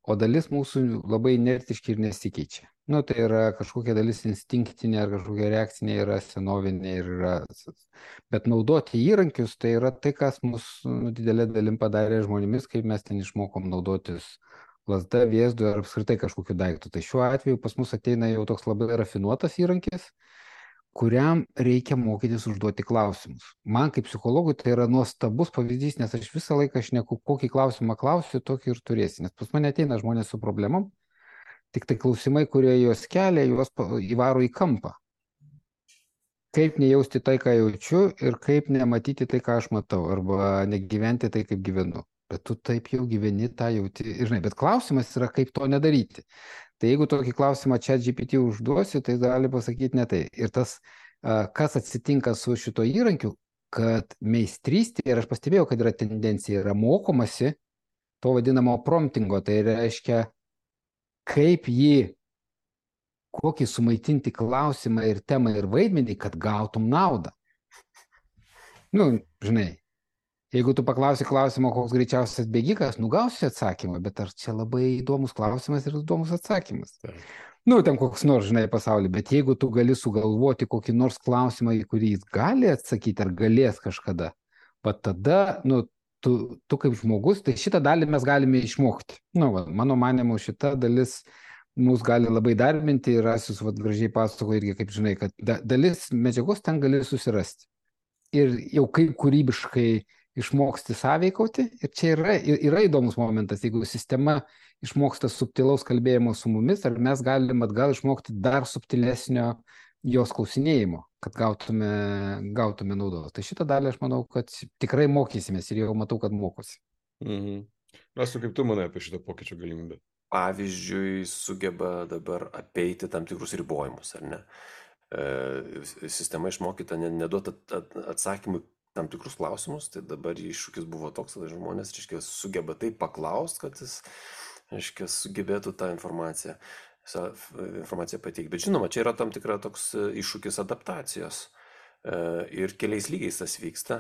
o dalis mūsų labai inertiški ir nesikeičia. Nu, tai yra kažkokia dalis instinktinė ar kažkokia reakcinė, yra senovinė ir yra. Bet naudoti įrankius, tai yra tai, kas mus nu, didelė dalim padarė žmonėmis, kaip mes ten išmokom naudotis lazda, vėzdu ar apskritai kažkokiu daiktu. Tai šiuo atveju pas mus ateina jau toks labai rafinuotas įrankis, kuriam reikia mokytis užduoti klausimus. Man kaip psichologui tai yra nuostabus pavyzdys, nes aš visą laiką šneku, kokį klausimą klausiu, tokį ir turėsi. Nes pas mane ateina žmonės su problemom, tik tai klausimai, kurie juos kelia, juos įvaro į kampą. Kaip nejausti tai, ką jaučiu, ir kaip nematyti tai, ką aš matau, arba negyventi tai, kaip gyvenu. Bet tu taip jau gyveni, tą jauti. Ir, žinai, bet klausimas yra, kaip to nedaryti. Tai jeigu tokį klausimą ChatGPT užduosi, tai gali pasakyti ne tai. Ir tas, kas atsitinka su šito įrankiu, kad meistrystė, ir aš pastebėjau, kad yra tendencija, yra mokomasi to vadinamo promptingo, tai reiškia, kaip jį, kokį sumaitinti klausimą ir temą ir vaidmenį, kad gautum naudą. Nu, žinai, jeigu tu paklausi klausimą, koks greičiausias bėgikas, nugausi atsakymą, bet ar čia labai įdomus klausimas ir įdomus atsakymas? Tai. Nu, ten koks nors, žinai, pasaulį, bet jeigu tu gali sugalvoti kokį nors klausimą, į kurį jis gali atsakyti ar galės kažkada, bet tada, nu, tu, tu kaip žmogus, tai šitą dalį mes galime išmokti. Nu, va, mano manimu, šita dalis mus gali labai darbinti ir Asius vat, gražiai pasako irgi, kaip žinai, kad da, dalis medžiagos ten gali susirasti. Ir jau kaip kūrybiškai išmoksti sąveikauti. Ir čia yra, yra įdomus momentas, jeigu sistema išmoksta subtilaus kalbėjimo su mumis, ar mes galim atgal išmokti dar subtilesnio jos klausinėjimo, kad gautume, gautume naudos. Tai šitą dalį aš manau, kad tikrai mokysimės ir jau matau, kad mokosi. Mhm. Mes, kaip tu manai apie šitą pokyčio galimybę? Pavyzdžiui, sugeba dabar apeiti tam tikrus ribojimus, ar ne? E, sistema išmokyta neduoti atsakymų tam tikrus klausimus, tai dabar iššūkis buvo toks, kad žmonės, reiškia, sugeba taip paklausti, kad jis, reiškia, sugebėtų tą informaciją, informaciją pateikti. Bet žinoma, čia yra tam tikra toks iššūkis adaptacijos ir keliais lygiais tas vyksta.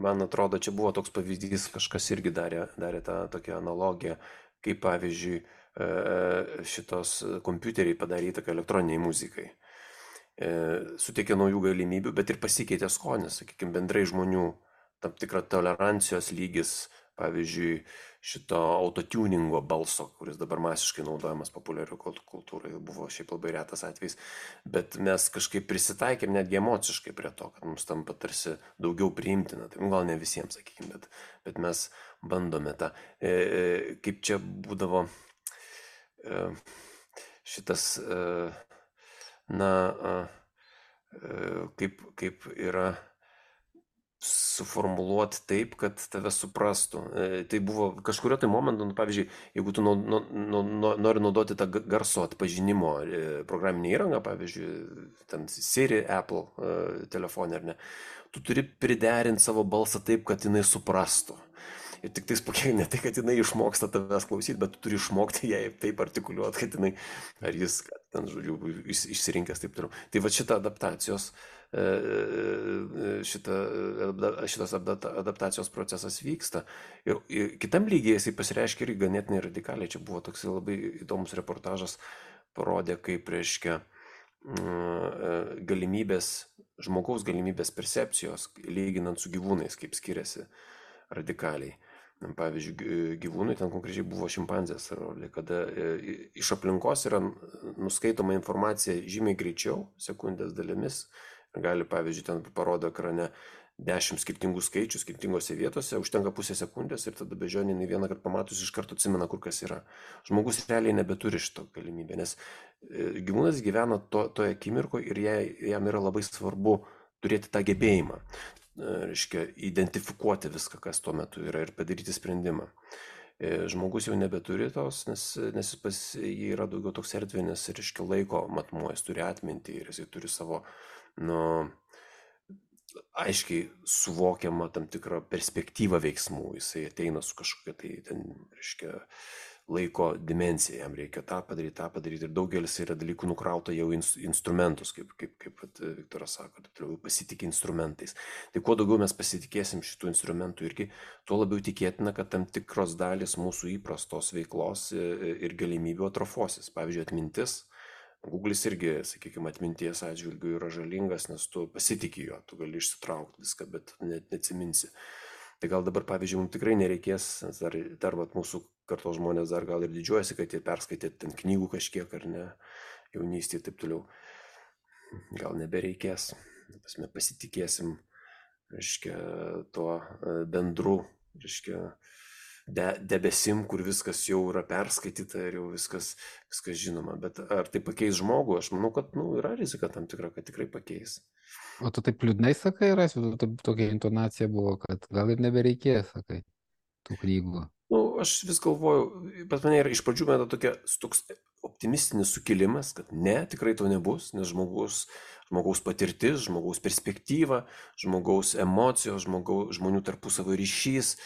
Man atrodo, čia buvo toks pavyzdys, kažkas irgi darė, darė tą tokią analogiją, kaip pavyzdžiui šitos kompiuteriai padarė įtaką elektroniniai muzikai. Suteikė naujų galimybių, bet ir pasikeitė skonis, sakykime, bendrai žmonių tam tikra tolerancijos lygis, pavyzdžiui, šito autotuningo balso, kuris dabar masiškai naudojamas populiarių kultūrai, buvo šiaip labai retas atvejs, bet mes kažkaip prisitaikėm netgi emociškai prie to, kad mums tampa tarsi daugiau priimtina, tai gal ne visiems, sakykime, bet, bet mes bandome tą, e, kaip čia būdavo e, šitas e, na, kaip, kaip yra suformuluoti taip, kad tave suprastų. Tai buvo kažkurio tai momentu, nu, pavyzdžiui, jeigu tu nu, nu, nu, nori naudoti tą garso atpažinimo programinę įrangą, pavyzdžiui, ten Siri, Apple telefonė ar ne, tu turi priderinti savo balsą taip, kad jinai suprastų. Ir tik tais pakiek, ne tai, kad jinai išmoksta tavęs klausyti, bet tu turi išmokti jai taip artikuliuoti, kad jinai, ar jis, kad ten, žodžiu, išsirinkęs taip toliau. Tai va šita adaptacijos, šita, šitas adaptacijos procesas vyksta. Ir, ir kitam lygiai jisai pasireiškia ir ganėtinai radikaliai. Čia buvo toks labai įdomus reportažas, parodė, kaip reiškia galimybės, žmogaus galimybės percepcijos, lyginant su gyvūnais, kaip skiriasi radikaliai. Pavyzdžiui, gyvūnai, ten konkrečiai buvo šimpanzės, kada iš aplinkos yra nuskaitoma informacija žymiai greičiau, sekundės dalimis. Gali, pavyzdžiui, ten parodo ekrane dešimt skirtingų skaičių skirtingose vietose, užtenka pusę sekundės ir tada bežionė vieną kartą pamatus iš karto atsimena, kur kas yra. Žmogus realiai nebeturi šito galimybę, nes gyvūnas gyvena to, toje akimirkoje ir jai, jam yra labai svarbu turėti tą gebėjimą. Reiškia, identifikuoti viską, kas tuo metu yra ir padaryti sprendimą. Žmogus jau nebeturi tos, nes, nes pas jį yra daugiau toks erdvinis, reiškia, laiko matmuo, jis turi atmintį ir jis turi savo, nu, aiškiai suvokiamą tam tikrą perspektyvą veiksmų, jisai ateina su kažkokia tai, ten, reiškia, laiko dimensiją, jam reikia tą padaryti, tą padaryti ir daugelis yra dalykų nukrauta jau ins, instrumentus, kaip, kaip, kaip Viktoras sako, tai pasitikė instrumentais. Tai kuo daugiau mes pasitikėsim šitų instrumentų irgi, tuo labiau tikėtina, kad tam tikros dalis mūsų įprastos veiklos ir galimybių atrofosis. Pavyzdžiui, atmintis. Google'is irgi, sakykime, atminties atžvilgių yra žalingas, nes tu pasitikė jo, tu gali išsitraukti viską, bet net neatsiminsi. Tai gal dabar, pavyzdžiui, mums tikrai nereikės, dar, dar vat, mūsų kartos žmonės dar gal ir didžiuojasi, kad jie perskaitė ten knygų kažkiek ar ne, jaunystėje ir taip toliau. Gal nebereikės, mes pasitikėsim, reiškia, tuo bendru, reiškia, de, debesim, kur viskas jau yra perskaityta ir jau viskas, viskas žinoma. Bet ar tai pakeis žmogų? Aš manau, kad nu, yra rizika tam tikra, kad tikrai pakeis. O tu taip liūdnai sakai, Rasiu, tokia intonacija buvo, kad gal ir nebereikės, sakai, tų knygų. Nu, aš vis galvoju, bet mane yra iš pradžių meta tokia, toks optimistinis sukilimas, kad ne, tikrai to nebus, nes žmogus, žmogaus patirtis, žmogaus perspektyva, žmogaus emocijos, žmogaus, žmonių tarpusavio ryšys,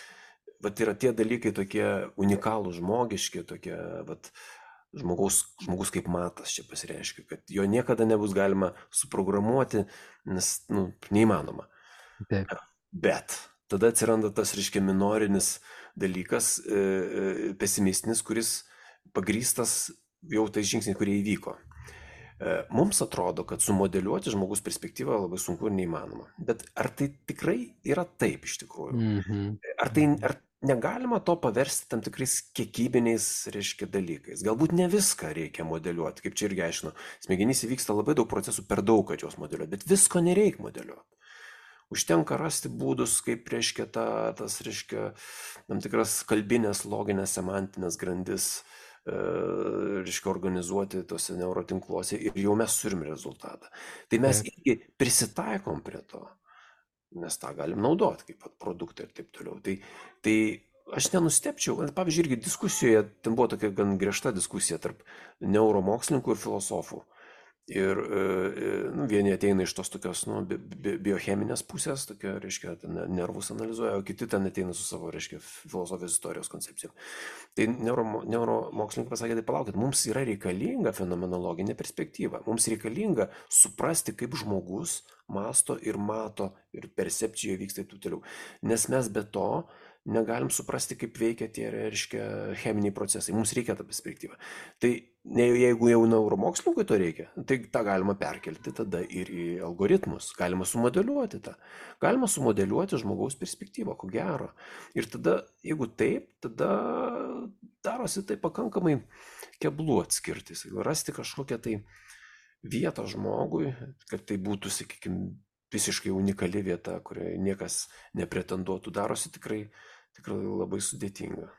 vat yra tie dalykai tokie unikalūs, žmogiški, tokie, vat, žmogaus, žmogus kaip matas čia pasireiškia, kad jo niekada nebus galima suprogramuoti, nes, nu, neįmanoma. Taip. Bet tada atsiranda tas, reiškia, minorinis dalykas, e, pesimistinis, kuris pagrįstas jau tais žingsniais, kurie įvyko. E, mums atrodo, kad sumodeliuoti žmogus perspektyvą labai sunku ir neįmanoma. Bet ar tai tikrai yra taip iš tikrųjų? Mhm. Ar tai, ar negalima to paversti tam tikrais kiekybiniais, reiškia, dalykais? Galbūt ne viską reikia modeliuoti, kaip čia irgi aiškinu. Smegenyse vyksta labai daug procesų, per daug, kad juos modeliuoti, bet visko nereikia modeliuoti. Užtenka rasti būdus, kaip, reiškia, ta, tas, reiškia, tam tikras kalbinės, loginės, semantinės grandis, e, reiškia, organizuoti tose neurotinkluose ir jau mes turim rezultatą. Tai mes irgi prisitaikom prie to, nes tą galim naudoti kaip produktą ir taip toliau. Tai, tai aš nenustepčiau, pavyzdžiui, irgi diskusijoje, ten buvo tokia gan griežta diskusija tarp neuromokslininkų ir filosofų. Ir nu, vieni ateina iš tos tokios nu, bi, bi, biocheminės pusės, tokia, reiškia, nervus analizuoja, o kiti ten ateina su savo, reiškia, filosofijos istorijos koncepcijom. Tai neuro, neuromokslininkai pasakė, tai palaukit, mums yra reikalinga fenomenologinė perspektyva, mums reikalinga suprasti, kaip žmogus masto ir mato ir percepcijoje vyksta ir taip toliau. Nes mes be to negalim suprasti, kaip veikia tie, reiškia, cheminiai procesai. Mums reikia tą perspektyvą. Tai ne, jeigu jau neuromokslininkui to reikia, tai tą galima perkelti tada ir į algoritmus. Galima sumodeliuoti tą. Galima sumodeliuoti žmogaus perspektyvą, ko gero. Ir tada, jeigu taip, tada darosi tai pakankamai keblų atskirti. Rasti kažkokią tai vietą žmogui, kad tai būtų, sakykime, visiškai unikali vieta, kurioje niekas nepretenduotų, darosi tikrai tikrai labai sudėtinga.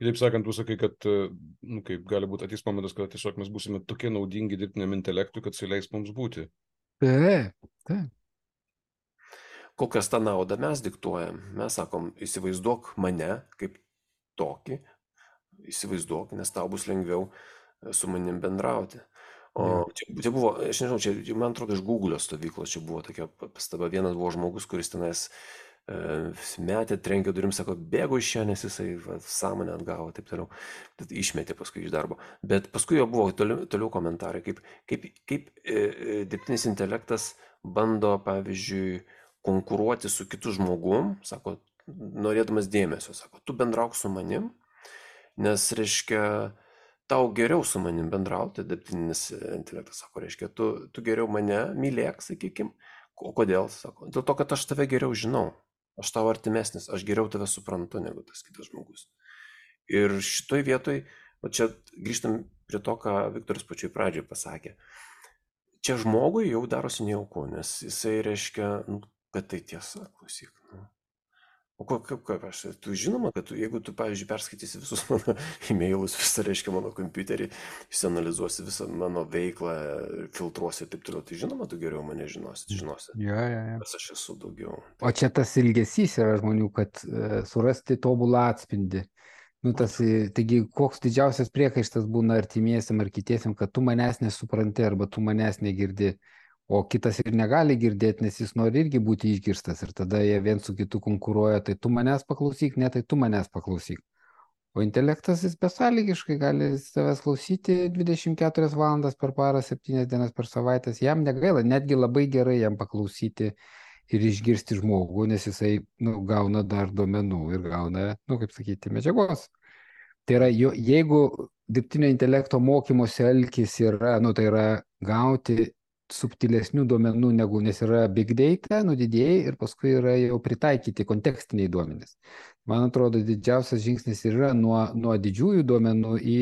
Taip sakant, tu sakai, kad nu, kaip gali būti ateis momentas, kad tiesiog mes būsime tokie naudingi dirbtiniam intelektui, kad jis leis mums būti. Taip, taip. Kokias tą naudą mes diktuojam? Mes sakom, įsivaizduok mane kaip tokį, įsivaizduok, nes tau bus lengviau su manim bendrauti. O čia, čia buvo, aš nežinau, čia, man atrodo, iš Google stovyklos čia buvo tokia pastaba. Vienas buvo žmogus, kuris tenais metė, trenkė durim, sako, bėgo iš čia, nes jisai va, sąmonę atgavo, taip toliau. Tad išmetė paskui iš darbo. Bet paskui jo buvo toliau, toliau komentarai, kaip, kaip, kaip e, dirbtinis intelektas bando, pavyzdžiui, konkuruoti su kitu žmogum, sako, norėdamas dėmesio, sako, tu bendrauk su manim, nes, reiškia, tau geriau su manim bendrauti, dirbtinis intelektas, sako, reiškia, tu, tu geriau mane mylėk, sakykim. O kodėl, sako, dėl to, kad aš tave geriau žinau. Aš tau artimesnis, aš geriau tave suprantu negu tas kitas žmogus. Ir šitoj vietoj, o čia grįžtam prie to, ką Viktoras pačioj pradžioj pasakė. Čia žmogui jau darosi nejauku, nes jisai reiškia, nu, kad tai tiesa, klausyk. Nu. O kaip, kaip, kaip aš, tu žinoma, kad tu, jeigu tu, pavyzdžiui, perskaitysi visus mano e-mailus, visą, reiškia, mano kompiuterį, išsianalizuosi visą mano veiklą, filtruosi ir taip toliau, tai žinoma, tu geriau mane žinosi, žinosi, Ja, ja, ja. kas aš esu daugiau. O čia tas ilgesys yra žmonių, kad e, surasti tobulą atspindį. Nu, tas, e, taigi, koks didžiausias priekaištas būna artimiesiam ar kitiesiam, kad tu manęs nesupranti arba tu manęs negirdi, o kitas ir negali girdėti, nes jis nori irgi būti išgirstas ir tada jie vien su kitu konkuruoja, tai tu manęs paklausyk, ne, tai tu manęs paklausyk. O intelektas jis besąlygiškai gali savęs klausyti dvidešimt keturias valandas per parą, septynias dienas per savaitę. Jam negaila, netgi labai gerai jam paklausyti ir išgirsti žmogų, nes jisai nu, gauna dar duomenų ir gauna, nu, kaip sakyti, medžiagos. Tai yra, jo, jeigu dirbtinio intelekto mokymosi alkis yra, nu, tai yra gauti subtilesnių duomenų negu, nes yra big data, nu, didėjai ir paskui yra jau pritaikyti kontekstiniai duomenys. Man atrodo, didžiausias žingsnis yra nuo, nuo didžiųjų duomenų į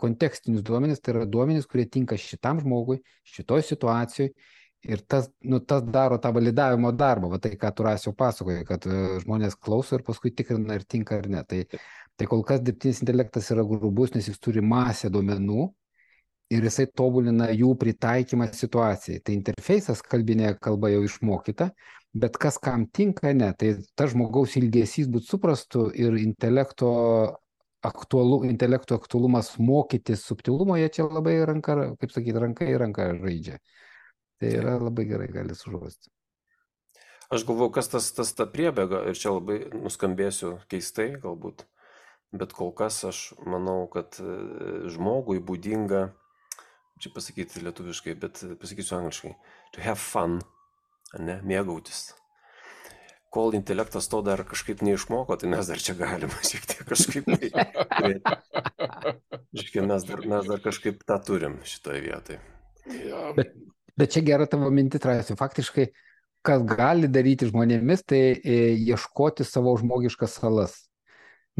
kontekstinius duomenys, tai yra duomenys, kurie tinka šitam žmogui, šitoj situacijoj. Ir tas, nu, tas daro tą validavimo darbą, va tai, ką tu Rasiau pasakoji, kad uh, žmonės klauso ir paskui tikrina, ar tinka ar ne. Tai, tai kol kas dirbtinis intelektas yra grubus, nes jis turi masę duomenų ir jisai tobulina jų pritaikymą situacijai. Tai interfejsas kalbinė kalba jau išmokyta, bet kas kam tinka, ne. Tai tas žmogaus ilgesys būtų suprastu ir intelekto, aktualu, intelekto aktualumas mokytis subtilumo, jie čia labai ranka, kaip sakyti, ranka į ranką žaidžia. Tai yra labai gerai gali sužuosti. Aš galvoju, kas tas, tas ta priebėga, ir čia labai nuskambėsiu keistai galbūt, bet kol kas aš manau, kad žmogui būdinga, čia pasakyti lietuviškai, bet pasakysiu angliškai, to have fun, ne, mėgautis. Kol intelektas to dar kažkaip neišmoko, tai mes dar čia galime šiek tiek kažkaip. Žiūrėk, mes dar, mes dar kažkaip tą turim šitoje vietoje. Bet, bet čia gera tavo mintis, Rasiau. Faktiškai, kas gali daryti žmonėmis, tai e, ieškoti savo žmogiškas salas.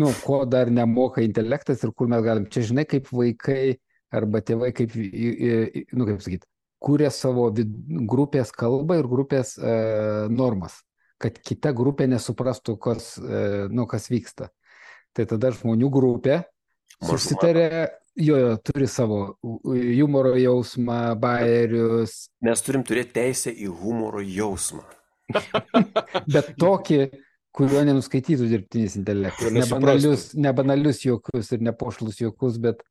Nu, ko dar nemoka intelektas ir kur mes galim. Čia žinai, kaip vaikai arba tėvai, kaip, nu, kaip sakyti, kūrė savo vid, grupės kalbą ir grupės e, normas, kad kita grupė nesuprastų, kas, e, nu, kas vyksta. Tai tada žmonių grupė susitarė, jo, jo, turi savo humoro jausmą, bajerius. Mes turim turėti teisę į humoro jausmą. Bet tokį, kurio nenuskaitytų dirbtinis intelektas. Nebanalius, nebanalius juokus ir nepošlus juokus, bet,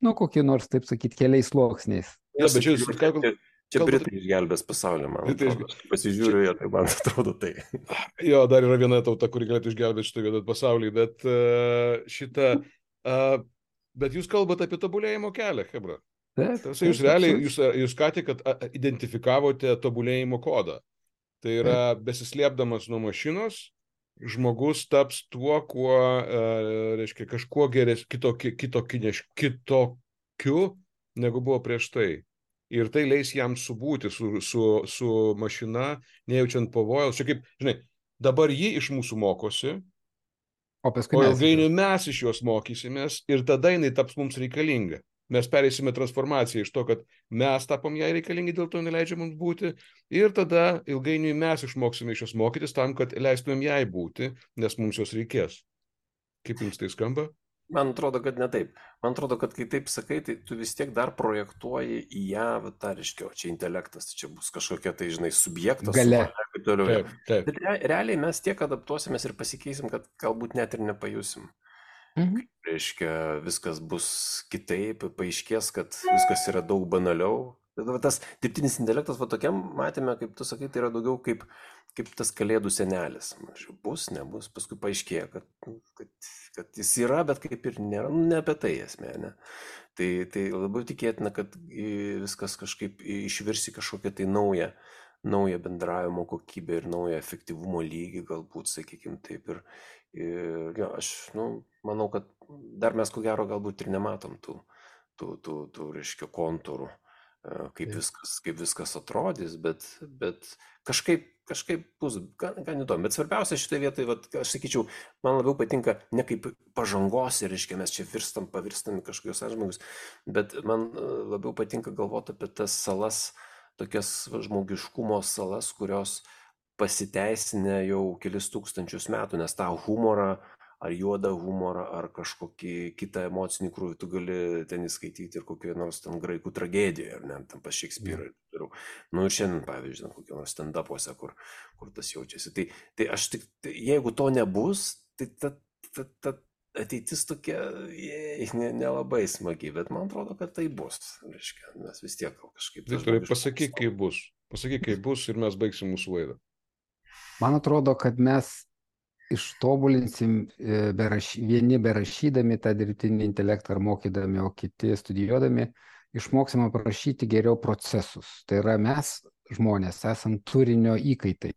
nu, kokie nors, taip sakyti, keliais sluoksniais. Ja, bet čia, čia, čia, čia Britai išgelbės pasaulį, man atrodo. Pasižiūriu, čia... tai man atrodo tai. Jo, dar yra viena tauta, kuri galėtų išgelbėti šitą vietą pasaulį, bet uh, šitą... Uh, Bet jūs kalbate apie tobulėjimo kelią, hebra. Tarsi, jūs realiai, jūs, jūs ką tik identifikavote tobulėjimo kodą. Tai yra, besislėpdamas nuo mašinos, žmogus taps tuo, kuo, e, reiškia, kažkuo geres, kitokiu, kitokiu, kitokiu, negu buvo prieš tai. Ir tai leis jam subūti su, su, su mašina, nejaučiant pavojaus. Čia kaip, žinai, dabar ji iš mūsų mokosi, O, o ilgainiui mes iš jos mokysimės ir tada jinai taps mums reikalinga. Mes pereisime transformaciją iš to, kad mes tapom jai reikalingi, dėl to neleidžia mums būti. Ir tada ilgainiui mes išmoksime iš jos mokytis tam, kad leistumėm jai būti, nes mums jos reikės. Kaip jums tai skamba? Man atrodo, kad ne taip. Man atrodo, kad kai taip sakai, tai tu vis tiek dar projektuoji į ją, tą reiškia, o čia intelektas, čia bus kažkokia tai, žinai, subjektas. Galia. Taip, taip. Bet re, realiai mes tiek adaptuosimės ir pasikeisim, kad galbūt net ir nepajusim. Mhm. Reiškia, viskas bus kitaip, paaiškės, kad viskas yra daug banaliau. Tas dirbtinis intelektas, va tokiam matėme, kaip tu sakai, tai yra daugiau kaip, kaip tas kalėdų senelis. Bus, nebus, paskui paaiškėja, kad, kad, kad jis yra, bet kaip ir nėra, nu, ne apie tai esmė, ne. Tai, tai labai tikėtina, kad viskas kažkaip išvirsi kažkokią tai naują, naują bendravimo kokybę ir naują efektyvumo lygį, galbūt, sakykime taip. Ir, ir jo, aš, nu, manau, kad dar mes ko gero galbūt ir nematom tų, tų, tų, tų reiškia, kontūrų. Kaip viskas, kaip viskas atrodys, bet, bet kažkaip, kažkaip bus gan, gan įdomu. Bet svarbiausia šitoje vietoje, vat, aš sakyčiau, man labiau patinka ne kaip pažangos ir, reiškia, mes čia virstam, pavirstam kažkokios atžmogus, bet man labiau patinka galvoti apie tas salas, tokias žmogiškumo salas, kurios pasiteisinę jau kelis tūkstančius metų, nes tą humorą, ar juodą humorą, ar kažkokį kitą emocinį krūvį, tu gali ten įskaityti ir kokioje nors ten graikų tragedijoje, ar ne, tam pas Šekspyrą. Mm. Nu ir šiandien, pavyzdžiui, kokio nors stand-upuose, kur, kur tas jaučiasi. Tai, tai aš tik, tai, jeigu to nebus, tai ta, ta, ta ateitis tokia nelabai ne smagi, bet man atrodo, kad tai bus. Reiškia, mes vis tiek kažkaip... Viktorai, pasakyk, kaip bus. Pasakyk, kaip bus ir mes baigsim mūsų laidą. Man atrodo, kad mes ištobulinsim beraš, vieni berašydami tą dirbtinį intelektą ar mokydami, o kiti studijuodami, išmoksim aprašyti geriau procesus. Tai yra mes, žmonės, esam turinio įkaitai,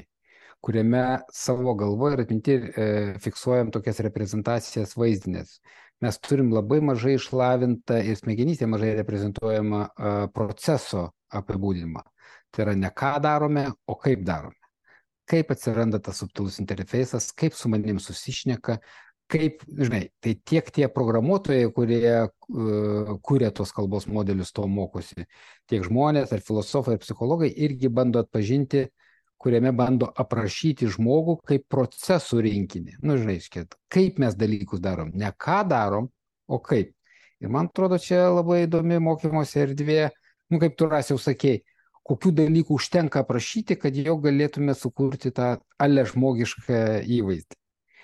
kuriame savo galvoje ir atminti e, fiksuojam tokias reprezentacijas vaizdinės. Mes turim labai mažai išlavintą ir smegenyse mažai reprezentuojamą e, proceso apibūdinimą. Tai yra ne ką darome, o kaip darome. Kaip atsiranda tas subtilus interfejsas, kaip su manim susišneka, kaip, žinai, tai tiek tie programuotojai, kurie uh, kūrė tos kalbos modelius, to mokosi, tiek žmonės, ar filosofai, ar psichologai irgi bando atpažinti, kuriame bando aprašyti žmogų kaip procesų rinkinį. Nu, žinai, kaip mes dalykus darom, ne ką darom, o kaip. Ir man atrodo, čia labai įdomi mokymosi erdvė, nu, kaip tu Rasiau sakei, kokių dalykų užtenka aprašyti, kad jau galėtume sukurti tą ale žmogišką įvaizdį.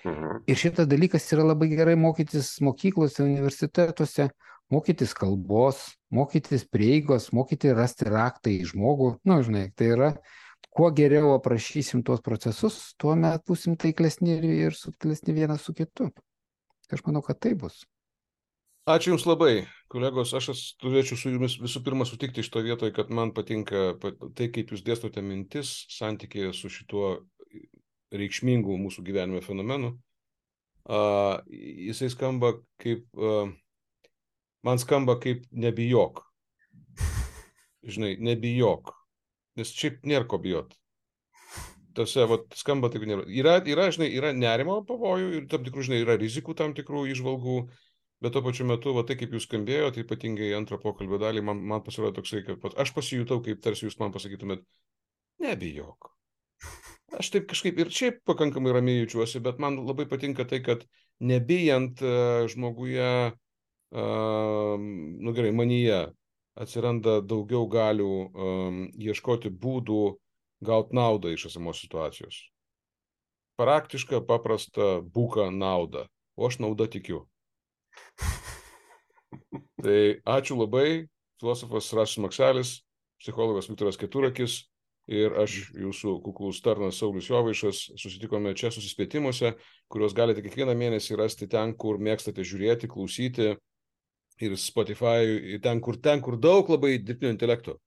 Mhm. Ir šitas dalykas yra labai gerai mokytis mokyklose, universitetuose, mokytis kalbos, mokytis prieigos, mokyti rasti raktą į žmogų. Nu, žinai, tai yra, kuo geriau aprašysim tuos procesus, tuo met būsim taiklesni ir subtilesni vienas su kitu. Aš manau, kad tai bus. Ačiū Jums labai, kolegos. Aš turėčiau su Jumis visų pirma sutikti iš to vietoje, kad man patinka tai, kaip Jūs dėstote mintis santykėje su šituo reikšmingu mūsų gyvenime fenomenu. Uh, jisai skamba kaip, uh, man skamba kaip nebijok. Žinai, nebijok. Nes šiaip nėra ko bijot. Tose, vat, skamba taip nėra. Yra, yra, žinai, yra nerimo pavojų ir tam tikrų, žinai, yra rizikų tam tikrų įžvalgų. Bet tuo pačiu metu, va, tai kaip jūs skambėjo, tai ypatingai antrą pokalbio dalį, man, man pasirodė toksai, kad aš pasijutau, kaip tarsi jūs man pasakytumėt, nebijok. Aš taip kažkaip ir šiaip pakankamai ramiai jaučiuosi, bet man labai patinka tai, kad nebijant uh, žmoguje, uh, nu gerai, manyje atsiranda daugiau galių um, ieškoti būdų gauti naudą iš esamos situacijos. Praktiška, paprasta, buka nauda, o aš naudą tikiu. Tai ačiū labai, filosofas Rasius Makselis, psichologas Viktoras Keturakis ir aš, jūsų kuklus tarnas Saulius Jovaišas, susitikome čia susispėtimuose, kuriuos galite kiekvieną mėnesį rasti ten, kur mėgstate žiūrėti, klausyti ir Spotify, ten, kur, ten, kur daug labai dirbtinio intelekto.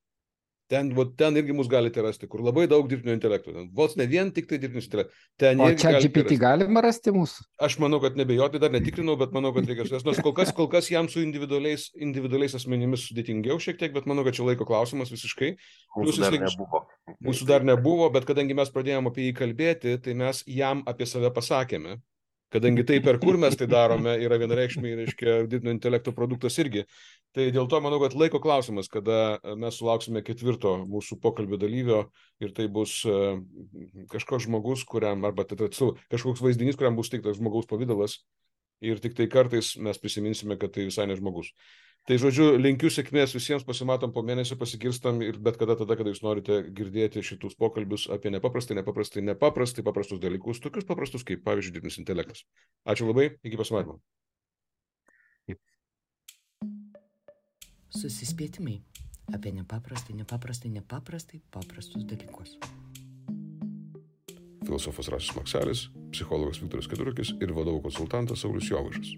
Ten, vo, ten irgi mus galite rasti, kur labai daug dirbtinio intelekto. Vos ne vien tik tai dirbtinis intelektas. O čia G P T galima rasti mūsų? Aš manau, kad nebejoti, dar netikrinau, bet manau, kad reikia surasti. Nors kol kas, kol kas jam su individualiais, individualiais asmenimis sudėtingiau šiek tiek, bet manau, kad čia laiko klausimas visiškai. Mūsų dar nebuvo. Mūsų dar nebuvo, bet kadangi mes pradėjome apie jį kalbėti, tai mes jam apie save pasakėme. Kadangi tai, per kur mes tai darome, yra vienareikšmiai, reiškia, dirbtinio intelekto produktas irgi. Tai dėl to manau, kad laiko klausimas, kada mes sulauksime ketvirto mūsų pokalbio dalyvio ir tai bus uh, kažkoks žmogus, kuriam, arba tai, kažkoks vaizdinys, kuriam bus teiktas žmogaus pavidalas ir tik tai kartais mes prisiminsime, kad tai visai ne žmogus. Tai žodžiu, linkiu sėkmės visiems, pasimatom po mėnesio, pasigirstam ir bet kada tada, kada jūs norite girdėti šitus pokalbius apie nepaprastai, nepaprastai, nepaprastai paprastus dalykus, tokius paprastus kaip, pavyzdžiui, dirbtinis intelektas. Ačiū labai, iki pasimatymo. Susispėtimai apie nepaprastai, nepaprastai, nepaprastai paprastus dalykus. Filosofas Rasius Makselis, psichologas Viktoras Keturakis ir vadovų konsultantas Saulius Jovaišas.